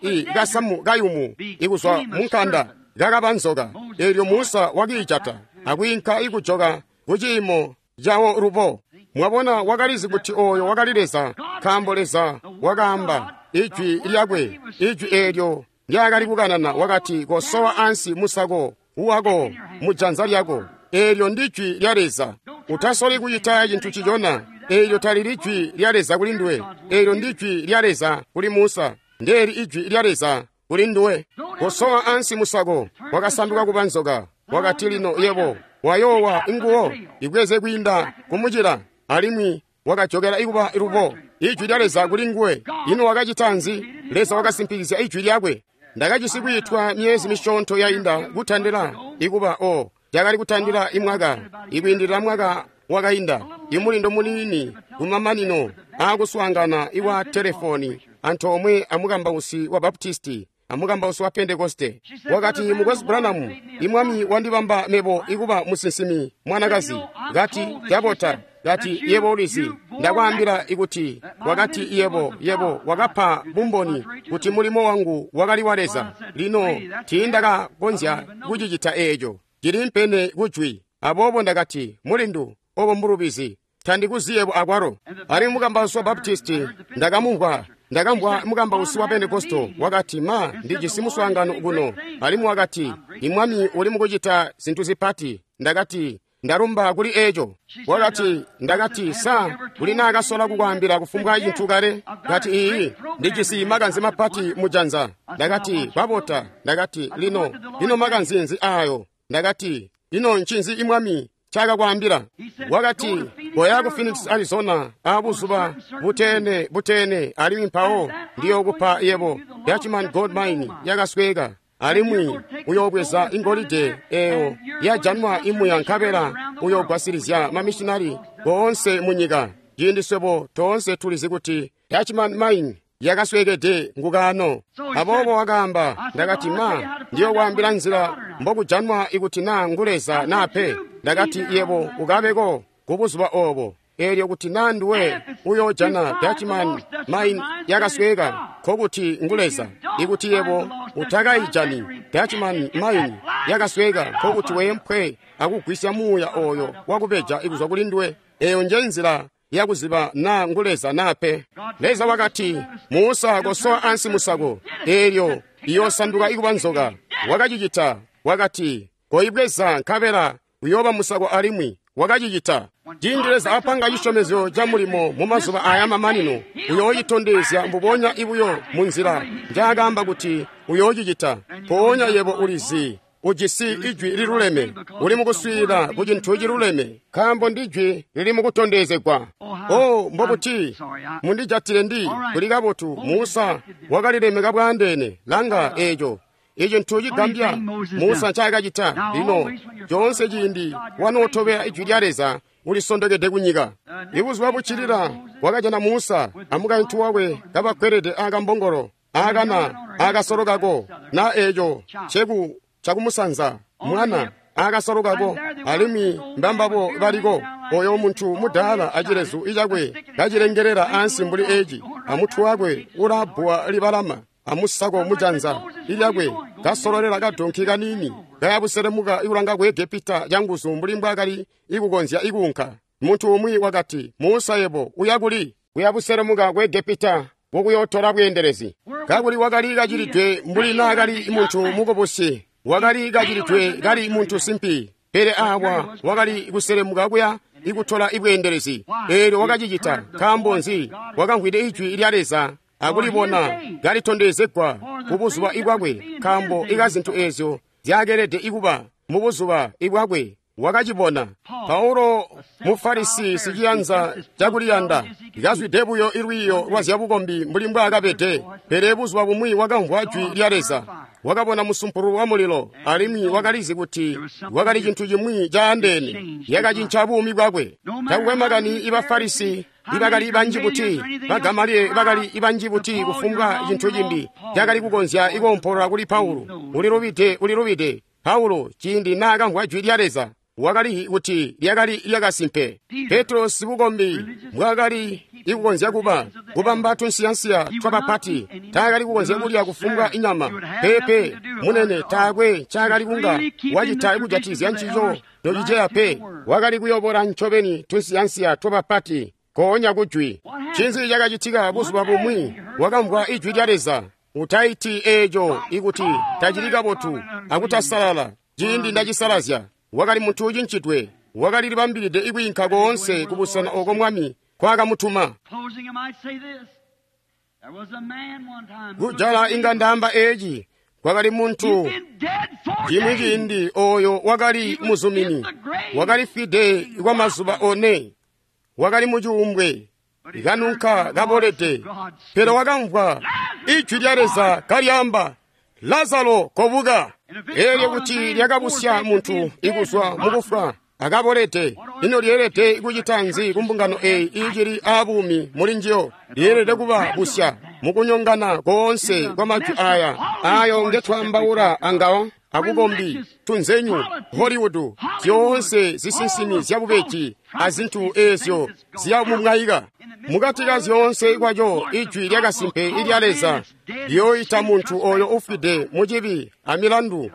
i kasamu kayumu ikuzwa munkanda kakaba nzoka. Eelyo Musa wakiijata akwiinka ikujoka kuciimo cawo lubo. Mwabona, wakalizi kuti oyo wakali Leza, nkaambo Leza wakaamba ijwi lyakwe, ijwi eelyo lyakali kukanana. Wakati, kosowa ansi musako wako mujanza lyako. Eelyo ndijwi lya Leza. Utasoli kucita cintu cicona. Eelyo talili jwi lya Leza kuli nduwe. Eelyo ndijwi lya Leza kuli Musa. Ndeeli ijwi lya Leza kuli nduwe. Kosowa ansi musako, wakasanduka kuba nzoka. Wakati, lino yebo wayoowa nguwo, ibweze kwiinda kumucila. Alimwi wakajokela ikuba lubo ijwi lya Leza kuli nguwe. Ino wakacita nzi? Leza wakasimpikizya ijwi lyakwe. Ndakajisi kwiitwa myezi misyoonto yainda kutandila ikuba o yakali kutandila imwaka, ikwiindilila mwaka wakainda, imulindo muniini kumamanino aakuswaangana iwa telefoni antoomwe amukambausi wa Baptisti amukambausi wa Pentekoste. Wakati, Mukwesu Branham, imwami wandibamba mebo ikuba musinsimi mwanakazi. Kati, cabota. Kati, yebo ulizi, ndakwaambila ikuti, wakati, yebo wakapa bumboni kuti mulimo wangu wakali wa Leza. Lino tiindakakonzya kucicita eeco, cilimpene kujwi. Aboobo ndakati, mulindu, obo mbulubizi, tandikuzi yebo akwalo. Alimwi mukambausi wa Baptisti ndakamumvwa. Ndakamvwa mukambausi wa Pentekosto wakati, ma, ndijisi muswaangano kuno. Alimwi wakati, imwami uli mukucita zintu zipati. Ndakati, ndalumba kuli eco. Wakati, ndakati, sa kuli naakasola kukwaambila kufumbwa cintu kale? Kati, iiyi, ndijisi makanze mapati mujanza. Ndakati, kwabota. Ndakati, lino makanze nzi ayo? Ndakati, ino ncinzi imwami cakakwaambila? Wakati, koya ku Phoenix, Arizona, abuzuba butene, alimwi mpawo ndiyokupa yebo Dutchman Gold Mine yakasweka, alimwi uyoobweza ingolide eyo yajanwa imuya, nkabela uyoogwasilizya mamishinari boonse munyika. Ciindi swebo toonse tulizi kuti Dutchman Mine yakaswekede ngukaano. Aboobo wakaamba. Ndakati, ma, ndiyokwaambila nzila mbokujanwa ikuti naa ngu Leza naa pe. Ndakati, yebo ukabeko kubuzuba obo. Eelyo kuti naa nduwe uyoojana Dutchman Mine yakasweka, nkokuti ngu Leza. Ikuti yebo utakayijani Dutchman Mine yakasweka, nkokuti weempwe akugwisya muuya oyo wakubeja ikuzwa kuli nduwe. Eyo nje nzila yakuziba naa ngu Leza naa pe. Leza wakati, Musa, kosowa ansi musako, eelyo iyosanduka ikuba nzoka. Wakacicita. Wakati, koibweza nkabela uyooba musako alimwi. Wakacicita. Ciindi Leza apanga cisyomezyo ca mulimo mu mazuba aya mamanino, uyoocitondezya mbubonya ibuyo mu nzila njaakaamba kuti uyoocicita. Mpoonya yebo ulizi ujisi ijwi liluleme, uli mukuswiilila ku cintu ciluleme, nkaambo ndijwi lili mukutondezegwa. O, mbobuti mundijatile ndi kuli kabotu. Musa wakalilemeka bwaandeene. Langa eeco icintu cigambya Musa ncaakacita. Lino coonse ciindi wanootobela ijwi lya Leza, ulisondokede kunyika. Ibuzuba buccilila wakajana Musa amukaintu wakwe kabakkwelede aakambongolo aakana aakasolo kako, na eeco ceku cakumusanza mwana aakasolo kako, alimwi mbambabo baliko. Oyo muntu mudaala acilezu icakwe kacilengelela ansi mbuli eci, amutwe wakwe ulabbuwa libalama, amusako mujanza ilyakwe kasololela kadonki kaniini kayabuselemuka ikulanga ku Egepita canguzu mbuli mbwaakali ikukonzya ikuunka. Muntu umwi wakati, Musa, yebo uya kuli? Kuyabuselemuka ku Egepita kukuyootola bweendelezi. Kakuli wakali kacilidwe mbuli naakali muntu mukubusi, wakali kacilidwe kali muntu simpi, pele awa wakali kuselemuka kuya ikutola ibweendelezi. Eelyo wakacicita. Nkaambo nzi? Wakamvwide ijwi lya Leza akulibona kalitondezegwa kubuzuba ibwakwe, nkaambo ikazintu eezyo zyakelede ikuba mubuzuba ibwakwe wakacibona. Paulo Mufarisi siciyanza cakuliyanda, kazwide buyo ilwiiyo lwa zyabukombi mbuli mbwaakabede, pele buzuba bumwi wakamvwa jwi lya Leza, wakabona musumpulu wa mulilo, alimwi wakalizi kuti wakali cintu cimwi caandeene yakacinca buumi bwakwe. Takukwe makani ibafarisi ibakali banji buti, bagamalieli bakali banji buti, kufumbwa cintu cimbi cakali kukonzya ikuompolola kuli Paulo, ulilubide, ulilubide. Paulo ciindi naakamvwa jwi lya Leza, Wakali kuti lyakali lyakasimpe. Petro sibukombi mbwaakali ikukonzya kuba kubamba tunsiyansiya twabapati, taakali kukonzya kulya kufumbwa inyama. Peepe munene, taakwe ncaakali kunga wacita kujatikizya ncico nociceya pe. Wakali kuyobola ncobeni tunsiyansiya twabapati koonya kujwi. Ncinzi cakacitika buzuba bumwi? Wakamvwa ijwi lya Leza. Utaiti eeco ikuti tacili kabotu akutasalala. Ciindi ndacisalazya. Wakali muntu ucincidwe. Wakali libambilide ikwiinka koonse kubusena oko Mwami nkwakamutuma. Kujala inga ndaamba eeci. Kwakali muntu cimwi ciindi oyo wakali muzumini. Wakali fwide kwa mazuba 4. Wakali mucuumbwe, kanunka kabolede, pele wakamvwa ijwi lya Leza kalyaamba, Lazaro kobuka. Eelyo kuti lyakabusya muntu ikuzwa mukufwa akabolede, ino lyeelede kucita nzi kumbungano eyi iicili aabuumi muli njiyo? Lyeelede kuba busya mukunyongana koonse kwa majwi aya ayo ngetwaambaula angawo akukombi, tunzenyu, Hollywood, zyoonse zisinsimi zyabubeji azintu eezyo ziyamumwayika. Mukati ka zyoonse kwaco ijwi lyakasimpe ilya Leza liyooyita muntu oyo ufwide mucibi amilandu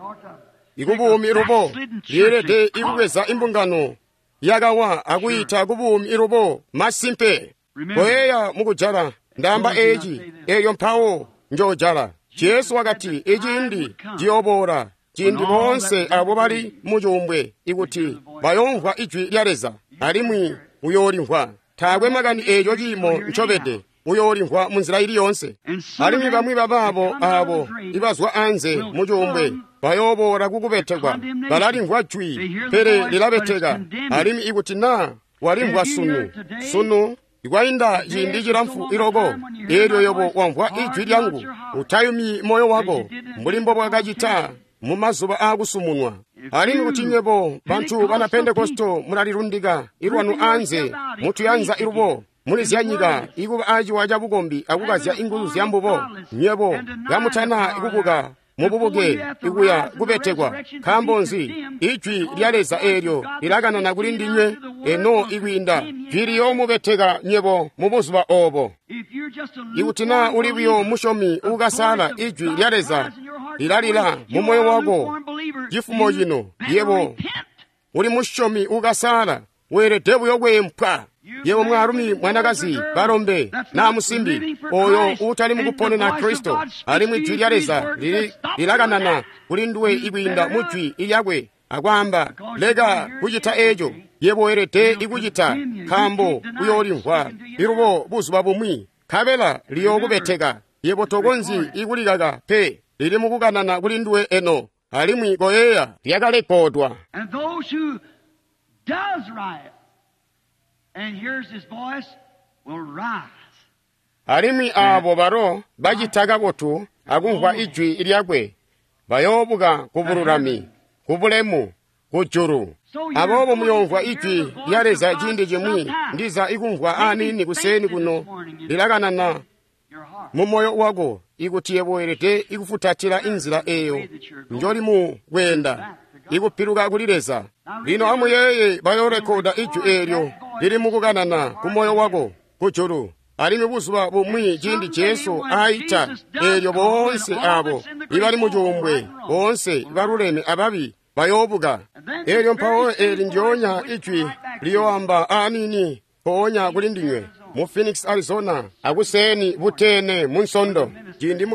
ikubuumi lubo. Lyeelede ikubweza imbungano yakawa akuyita kubuumi ilubo. Masimpe. Koyeeya mukujala ndaamba eeci, eelyo mpawo njoojala. Jesu wakati iciindi ciyooboola ciindi boonse abo bali mucuumbwe ikuti bayoomvwa ijwi lya Leza, alimwi uyoolimvwa. Taakwe makani eeco ciimo ncobede, uyoolimvwa munzila ili yoonse. Alimwi bamwi babaabo aabo ibazwa anze mucuumbwe bayooboola kukubetekwa. Balalimvwa jwi, pele lilabeteka. Alimwi ikuti naa walimvwa sunu, sunu ikwainda ciindi cilamfu iloko, eelyo yobo wamvwa ijwi lyangu, utayumyi moyo wako mbuli mbobwakacita mu mazuba aakusumunwa. Alimwi kuti nywebo bantu bana Pentekosto mulalilundika ilwanu anze mutuyanza ilubo muli zyanyika ikuba aciwa cabukombi akukazya inguzu zyambubo, nywebo kamutana kubuka mububuke ikuya kubetekwa. Nkaambo nzi? Ijwi lya Leza eelyo lilakanana kuli ndinywe eno ikwiinda jwi liyoomubeteka nywebo mu buzuba oobo. Ikuti naa uli buyo musyomi uukasala, ijwi lya Leza lilalila mu moyo wako cifumo cino. Yebo uli musyomi uukasala, weelede buyo kweempwa. Yebo mwaalumi, mwanakazi, balombe naa musimbi oyo uutali mukuponena Kristo, alimwi jwi lya Leza lilakanana kuli nduwe ikwiinda mu jwi lyakwe akwaamba, leka kucita eeco. Yebo weelede ikucita, nkaambo uyoolimvwa ilubo buzuba bumwi, nkabela liyookubeteka. Yebo tokonzyi ikulikaka pe, lili mukukanana kuli nduwe eno, alimwi koyeeya lyakalekodwa. Alimwi aabo balo bacita kabotu akumvwa ijwi lyakwe bayoobuka kubululami, kubulemu, kujulu. Aboobo muyoomvwa ijwi lya Leza ciindi cimwi, ndiza ikumvwa aniini kuseeni kuno lilakanana mu moyo wako, ikuti yebo weelede ikufutatila inzila eeyo njoli mu kweenda ikupiluka kuli Leza. Lino amuyeeye, bayoorekoda ijwi eelyo lili mukukanana ku moyo wako kujulu. Alimwi buzuba bumwi ciindi Jesu aita, eelyo boonse aabo ibali mucuumbwe, boonse baluleme ababi bayoobuka. Eelyo mpawo eeli ndyoonya ijwi liyoamba aniini mpoonya kuli ndinywe mu Phoenix, Arizona, akuseeni butene mu Nsondo, ciindi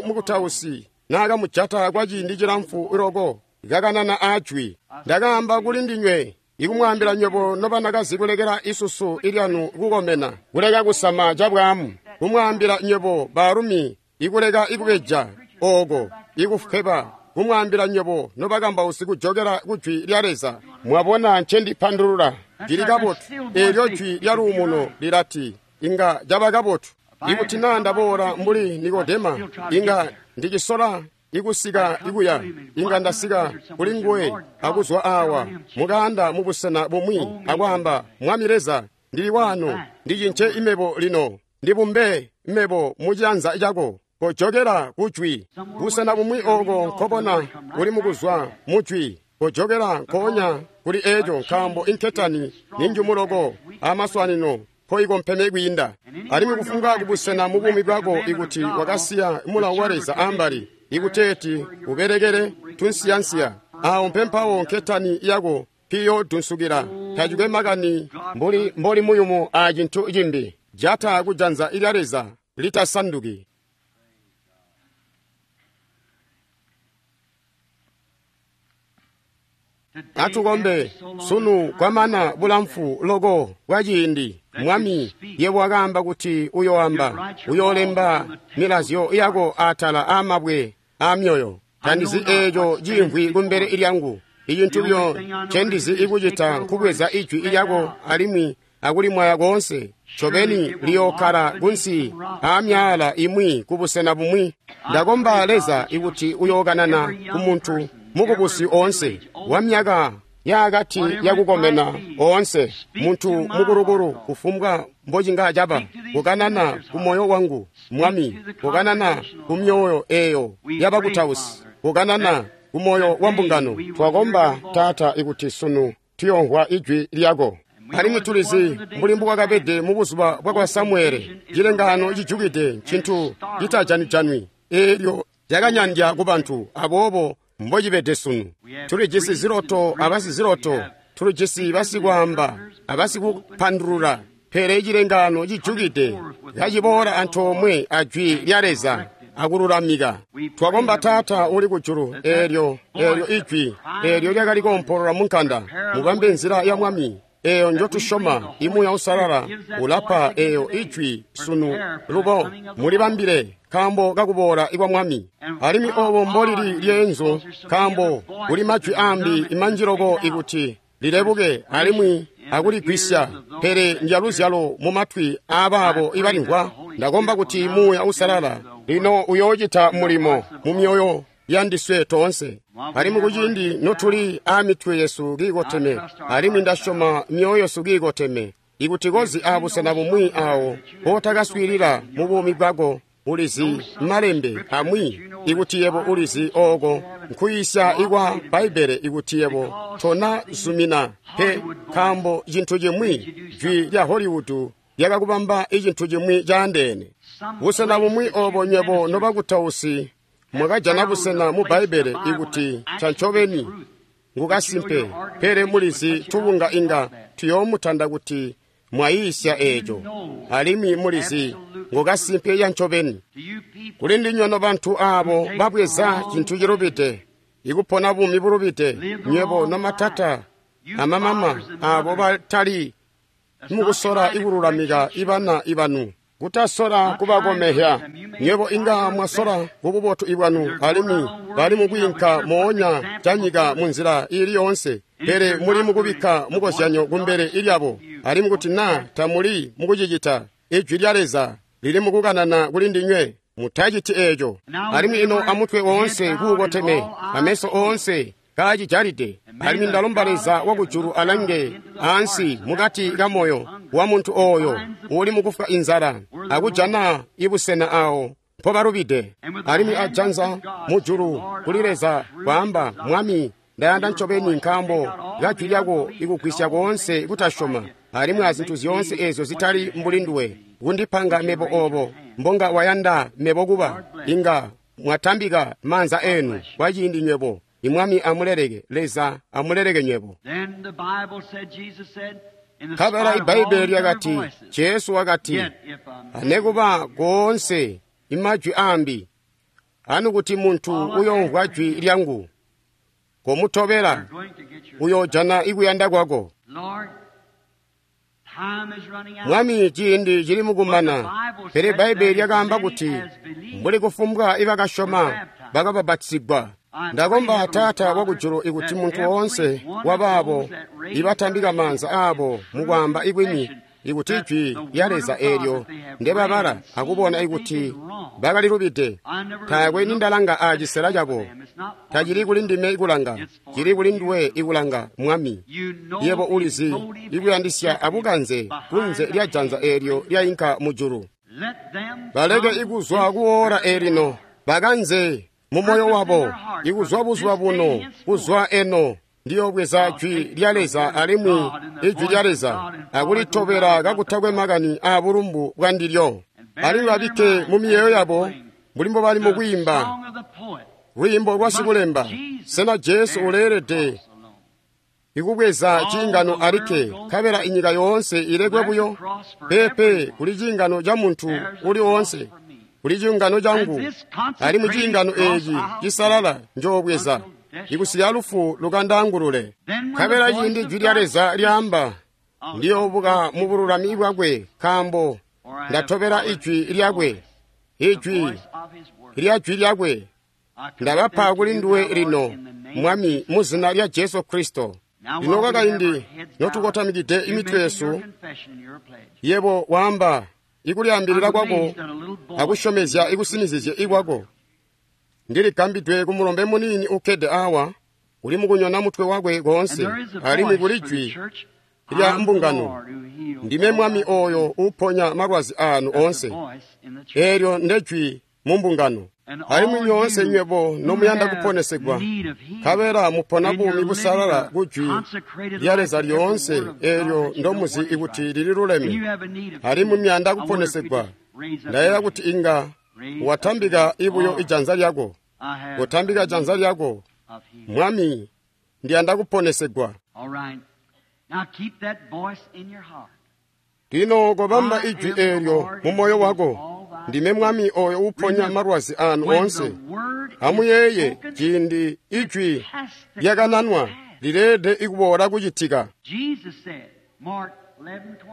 mukutausi naakamujata kwa ciindi cilamfu loko kakanana ajwi. Ndakaamba kuli ndinywe ikumwaambila nywebo nobanakazi kulekela isusu ilyanu kukomena, kuleka kusama cabwaamu, kumwaambila nywebo baalumi ikuleka ikubeja ooko ikufweba, kumwaambila nywebo nobakambausi kujokela kujwi lya Leza. Mwabona ncendipandulula? Lili kabotu. Eelyo jwi lya luumuno lilati inga caba kabotu. Ikuti naa ndaboola mbuli Nikodema, inga ndicisola ikusika ikuya, inga ndasika kuli nguwe akuzwa awa mukaanda mubusena bumwi akwaamba, Mwami Leza, ndili wano, ndicince imebo lino, ndibumbe imebo mucianza cako. Kojokela kujwi. Busena bumwi oko nkobona uli mukuzwa mujwi. Kojokela nkoonya kuli eco, nkaambo inketani ninjumu loko amaswanino mpoikompeme kwiinda. Alimwi kufumbwa kubusena mu buumi bwako ikuti wakasiya mulawo wa Leza ambali, ikuteeti ubelekele tunsiyansiya, awo mpempawo nketani yako piyodunsukila. Tacikwe makani mbuli mboli muyumu a cintu cimbi, jata kujanza lya Leza litasanduki. Atukombe sunu kwamana bulamfu loko bwa ciindi. Mwami, yebo wakaamba kuti uyoamba, uyoolemba milazyo yako atala aamabwe aamyoyo. Tandizi eeco ciimvwi kumbele lyangu. Icintu buyo ncendizi ikucita nkubweza ijwi lyako alimwi akulimwaya koonse. Ncobeni liyookkala kunsi aamyaala imwi kubusena bumwi. Ndakomba Leza ikuti uyookanana kumuntu mukubusi oonse wa myaka yaakati yakukomena oonse, muntu mukulukulu kufumbwa mbocinga caba, kukanana ku moyo wangu, Mwami, kukanana ku myoyo eyo yabakutausi, kukanana ku moyo wa mbungano. Twakomba Taata ikuti sunu tuyomvwa ijwi lyako. Alimwi tulizi mbuli mbukwakabede mu buzuba bwakwa Samuele, cilengaano cijukide ncintu citajanwi-janwi eelyo lyakanyandya ku bantu, aboobo mbocibede sunu. Tulijisi ziloto abasiziloto, tulijisi basikwaamba abasikupandulula, pele cilengaano cijukide kaciboola antoomwe ajwi lya Leza akululamika. Twakomba Taata uli kujulu, eelyo ijwi eelyo lyakali koompolola mu nkanda, mubambe nzila ya Mwami eyo njotusyoma. Imuuya Uusalala ulapa eyo ijwi sunu lubo, mulibambile nkaambo kakuboola kwa Mwami. Alimwi obo mbolili lyeenzu, nkaambo kuli majwi ambi manji loko ikuti lilebuke alimwi akuligwisya, pele ndyaluzyalo mu matwi aabaabo ibalimvwa. Ndakomba kuti Muuya Uusalala lino uyoocita mulimo mu myoyo yandiswe toonse. Alimwi kuciindi notuli aamitwe yesu kiikoteme, alimwi ndasyoma myoyo yesu kiikoteme, ikuti kozi aabusena bumwi awo mpotakaswiilila mu buumi bwako, ulizi malembe amwi, ikuti yebo ulizi ooko nkuyiisya ikwa Bbaibbele, ikuti yebo tona zumina pe, nkaambo cintu cimwi jwi lya Hollywood lyakakubamba icintu cimwi caandeene. Busena bumwi obo nywebo nobakutausi mwakajana busena mu Bbaibbele ikuti ncancobeni ngukasimpe, pele mulizi tubunga inga tuyoomutanda kuti mwayiisya eeco, alimwi mulizi ngukasimpe yancobeni. Kuli ndinywe nobantu aabo babweza cintu cilubide, ikupona buumi bulubide, nywebo nomatata amamama aabo batali mukusola ikululamika ibana ibanu, kutasola kubakomehya. Nywebo inga mwasola kububotu ibwanu, alimwi bali mukwiinka moonya canyika mu nzila iili yoonse, pele muli mukubikka mukozyanyo kumbele ilyabo. Alimwi kuti naa tamuli mukucicita, ijwi lya Leza lili mukukanana kuli ndinywe, mutaciti eeco. Alimwi ino amutwe woonse kuukoteme, ameso oonse kaacijalide. Alimwi ndalomba Leza wakujulu alange ansi mukati ka moyo wa muntu ooyo uli mukufwa inzala akujana ibusena awo mpobalubide. Alimwi ajanza mujulu kuli Leza kwaamba, Mwami, ndayanda ncobeni nkaambo kajwi lyako ikugwisya koonse kutasyoma alimwi azintu zyoonse eezyo zitali mbuli nduwe, kundipanga mebo obo mbonga wayanda mebo kuba. Inga mwatambika maanza enu kwa ciindi nywebo. Imwami amuleleke, Leza amuleleke nywebo. Nkabela iBbaibbele lyakati, Jesu wakati, anekuba koonse imajwi ambi, anu kuti muntu uyoomvwa jwi lyangu, komutobela, uyoojana ikuyanda kwako. Mwami, ciindi cili mukumana, pele Bbaibbele lyakaamba kuti mbuli kufumbwa ibakasyoma bakabapatizigwa. Ndakomba Taata wakujulu ikuti muntu woonse wabaabo ibatambika maanza aabo mukwaamba ikwini, ikuti ijwi lya Leza eelyo ndebabala akubona ikuti bakalilubide, taakwe nindalanga aacisela cabo. Tacili kuli ndime ikulanga, cili kuli nduwe ikulanga, Mwami. Yebo ulizi ikuyandisya abukanze kunze lya janza eelyo lyayinka mujulu. Baleke ikuzwa kuwoola eelino, bakanze mumoyo wabo ikuzwa buzuba buno, kuzwa eno Ndiyobweza jwi lya Leza alimwi ijwi lya Leza akulitobela kakutakwe makani aabulumbu bwandilyo. Alimwi babikke mu miyeeyo yabo mbuli mbobali mukwiimba lwiimbo lwa sikulemba. Sena Jesu uleelede ikubweza ciingano alikke, nkabela inyika yoonse ilekwe buyo? Peepe, kuli ciingano ca muntu uli oonse, kuli ciingano cangu, alimwi ciingano eeci cisalala njoobweza ikusikila lufu lukandaangulule. Nkabela ciindi jwi lya Leza lyaamba, ndiyoobuka mu bululami bwakwe, nkaambo ndatobela ijwi lyakwe, ijwi lya jwi lyakwe. Ndabapa kuli nduwe lino, Mwami, mu zina lya Jesu Kristo. Lino kwakaindi notukotamikide imitwe yesu, yebo waamba ikulyaambilila kwako akusyomezya ikusinizizye ikwako. Ndiligambidwe ku mulombe muniini ukkede awa, uli mukunyona mutwe wakwe koonse, alimwi kuli jwi lya mbungano. Ndime Mwami oyo uuponya malwazi aanu oonse. Eelyo ndejwi mu mbungano. Alimwi nyoonse nywebo nomuyanda kuponesegwa, nkabela mupona buumi busalala ku jwi lya Leza lyoonse eelyo ndomuzi ikuti lililuleme, alimwi muyanda kuponesegwa, ndayeeya kuti inga watambika ibuyo ijanza lyako. Kotambika janza lyako. Mwami, ndiyanda kuponesegwa. Lino kobamba ijwi eelyo mu moyo wako. Ndime Mwami oyo uuponya malwazi anu oonse. Amuyeeye ciindi ijwi lyakananwa lileelede ikuboola kucitika.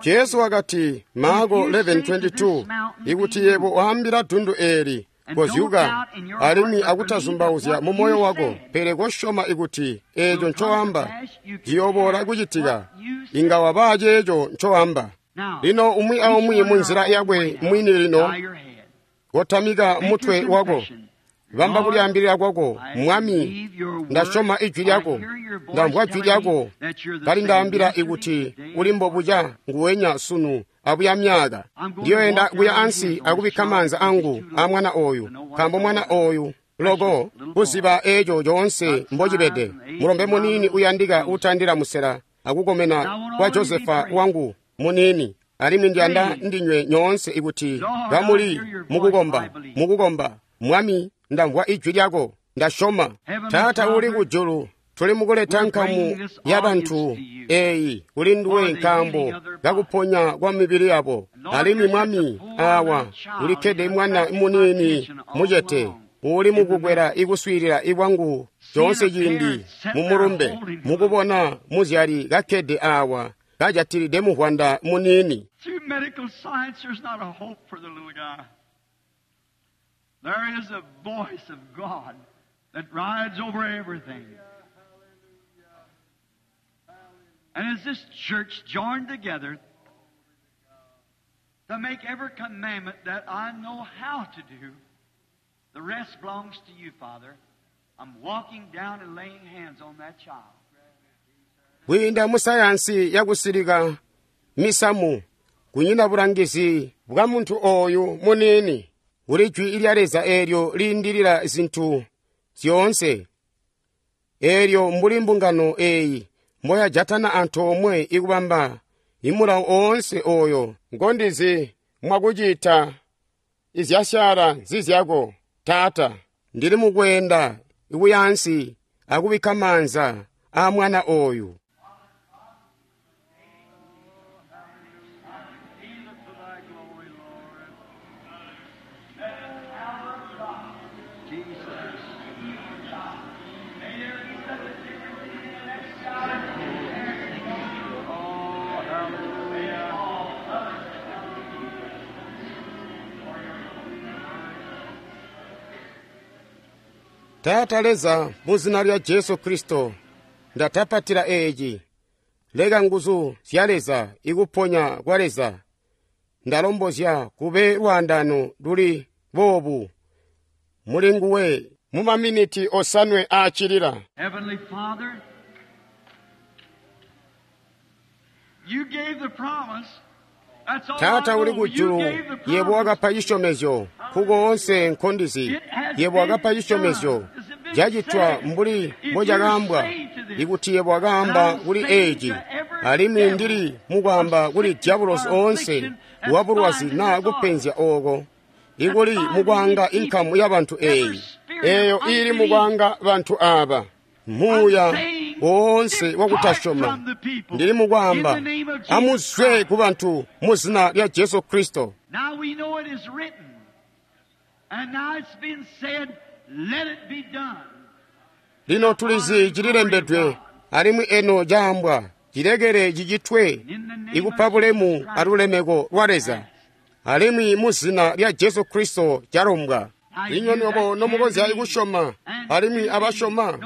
Jesu wakati, Marko 11:22, ikuti yebo waambila dundu eeli, kozyuka, alimwi akutazumbauzya mu moyo wako, pele kosyoma ikuti eeco ncoamba ciyooboola kucitika, inga wabaa ceeco ncoamba. Lino umwi aumwi mu nzila yakwe mwini lino, kotamika mutwe wako, bamba kulyaambilila kwako. Mwami, ndasyoma ijwi lyako, ndamvwa jwi lyako kalindaambila ikuti uli mbobuca nguwenya sunu abuya myaka. Ndiyoyenda kuya ansi akubikka maanza angu a mwana oyu, nkaambo mwana oyu loko kuziba eeco coonse mbocibede. Mulombe muniini uyandika utandila musela akukomena kwa Josefa wangu muniini, alimwi ndiyanda ndinywe nyoonse ikuti kamuli mukukomba. Mwami, ndamvwa ijwi lyako, ndasyoma. Taata uli kujulu, tuli mukuleta nkamu ya bantu eeyi kuli nduwe nkaambo kakuponya kwa mibili yabo. Alimwi Mwami, awa ulikkede mwana muniini mucete uli mukukwela ikuswiilila ikwangu coonse ciindi mumulumbe, mukubona muzyali kakkede awa kajatilide muvwanda muniini. There is a voice of God that rides over everything. And as this church joined together to make every commandment that I know how to do, the rest belongs to you, Father. I'm walking down and laying hands on that child. Kwiinda mu sayansi yakusilika misamu, kunyina bulangizi bwa muntu oyu muniini. Kuli jwi lya Leza eelyo liindilila zintu zyoonse, eelyo mbuli mbungano eeyi mboyajatana antoomwe ikubamba imulawo oonse oyo ngondizi mwakucita izyasyaala nzizyako. Taata, ndili mukweenda ikuyaansi akubikka maanza aa mwana oyu. Taata Leza, mu zina lya Jesu Kristo, ndatapatila eeci. Leka nguzu zya Leza ikuponya kwa Leza. Ndalombozya kube lwaandano luli boobu muli nguwe mu maminiti osanwe aacilila. Heavenly Father, you gave the promise. That's all Taata I uli know. You kujulu, gave the yebo promise. wakapa cisyomezyo kukoonse nkondizi. Yebo wakapa cisyomezyo cacitwa mbuli mbocakaambwa. Ikuti yebo wakaamba kuli eeci, alimwi ndili mukwaamba kuli dyabulosi oonse wabulwazi naa kupenzya ooko, ikuli mukwaanga inkamu ya bantu eeyi, eeyo iili mukwaanga bantu aaba, muuya woonse wakutasyoma, ndili mukwaamba, amuzwe ku bantu mu zina lya Jesu Kristo. Now we know it is written, and now it's been said, let it be done. Lino tulizi cililembedwe, alimwi eno caambwa, cilekele cicitwe, ikupa bulemu alulemeko lwa Leza, alimwi mu zina lya Jesu Kristo calombwa. Inywe nywebo nomukonzya kusyoma, alimwi abasyoma,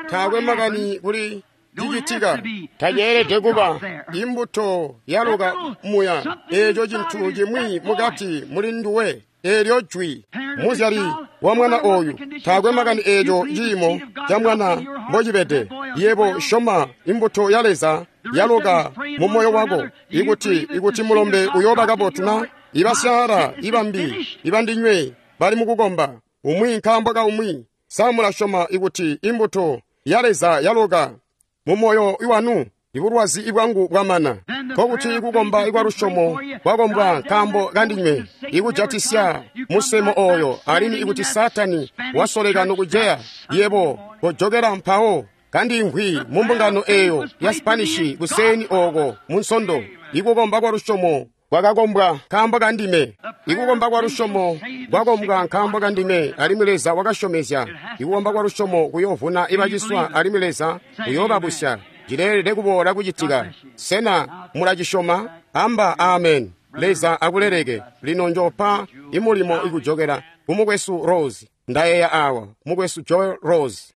taakwe makani kuli cicitika, taceelede kuba imbuto yaloka muya, eeco cintu cimwi mukati muli nduwe, eelyo jwi. Muzyali wa mwana oyu, taakwe makani eeco ciimo ca mwana mbocibede, yebo syoma imbuto ya Leza yaloka mu moyo wako, ikuti mulombe uyooba kabotu na ibasyaala ibambi ibandinywe bali mukukomba, umwi nkaambo ka umwi. Sa mulasyoma ikuti imbuto ya Leza yaloka mu moyo wanu, ibulwazi bwangu bwamana? Nkokuti kukomba kwa lusyomo kwakombwa nkaambo kandinywe, ikujatisya musemo oyo, alimwi ikuti Saatani wasoleka nokujeya, yebo kojokela mpawo kandiimvwi mu mbungano eyo ya Spanishi kuseeni oko mu Nsondo. Ikukomba kwa lusyomo kwakakombwa nkaambo kandime, ikukomba kwa lusyomo kwakombwa nkaambo kandime, alimwi Leza wakasyomezya ikukomba kwa lusyomo kuyoovuna ibaciswa, alimwi Leza uyoobabusya. Cileelede kuboola kucitika. Sena mulacisyoma? Amba amen. Leza akuleleke. Lino njopa imulimo ikujokela kumukwesu Rose. Ndayeeya awa, mukwesu Joel Rose.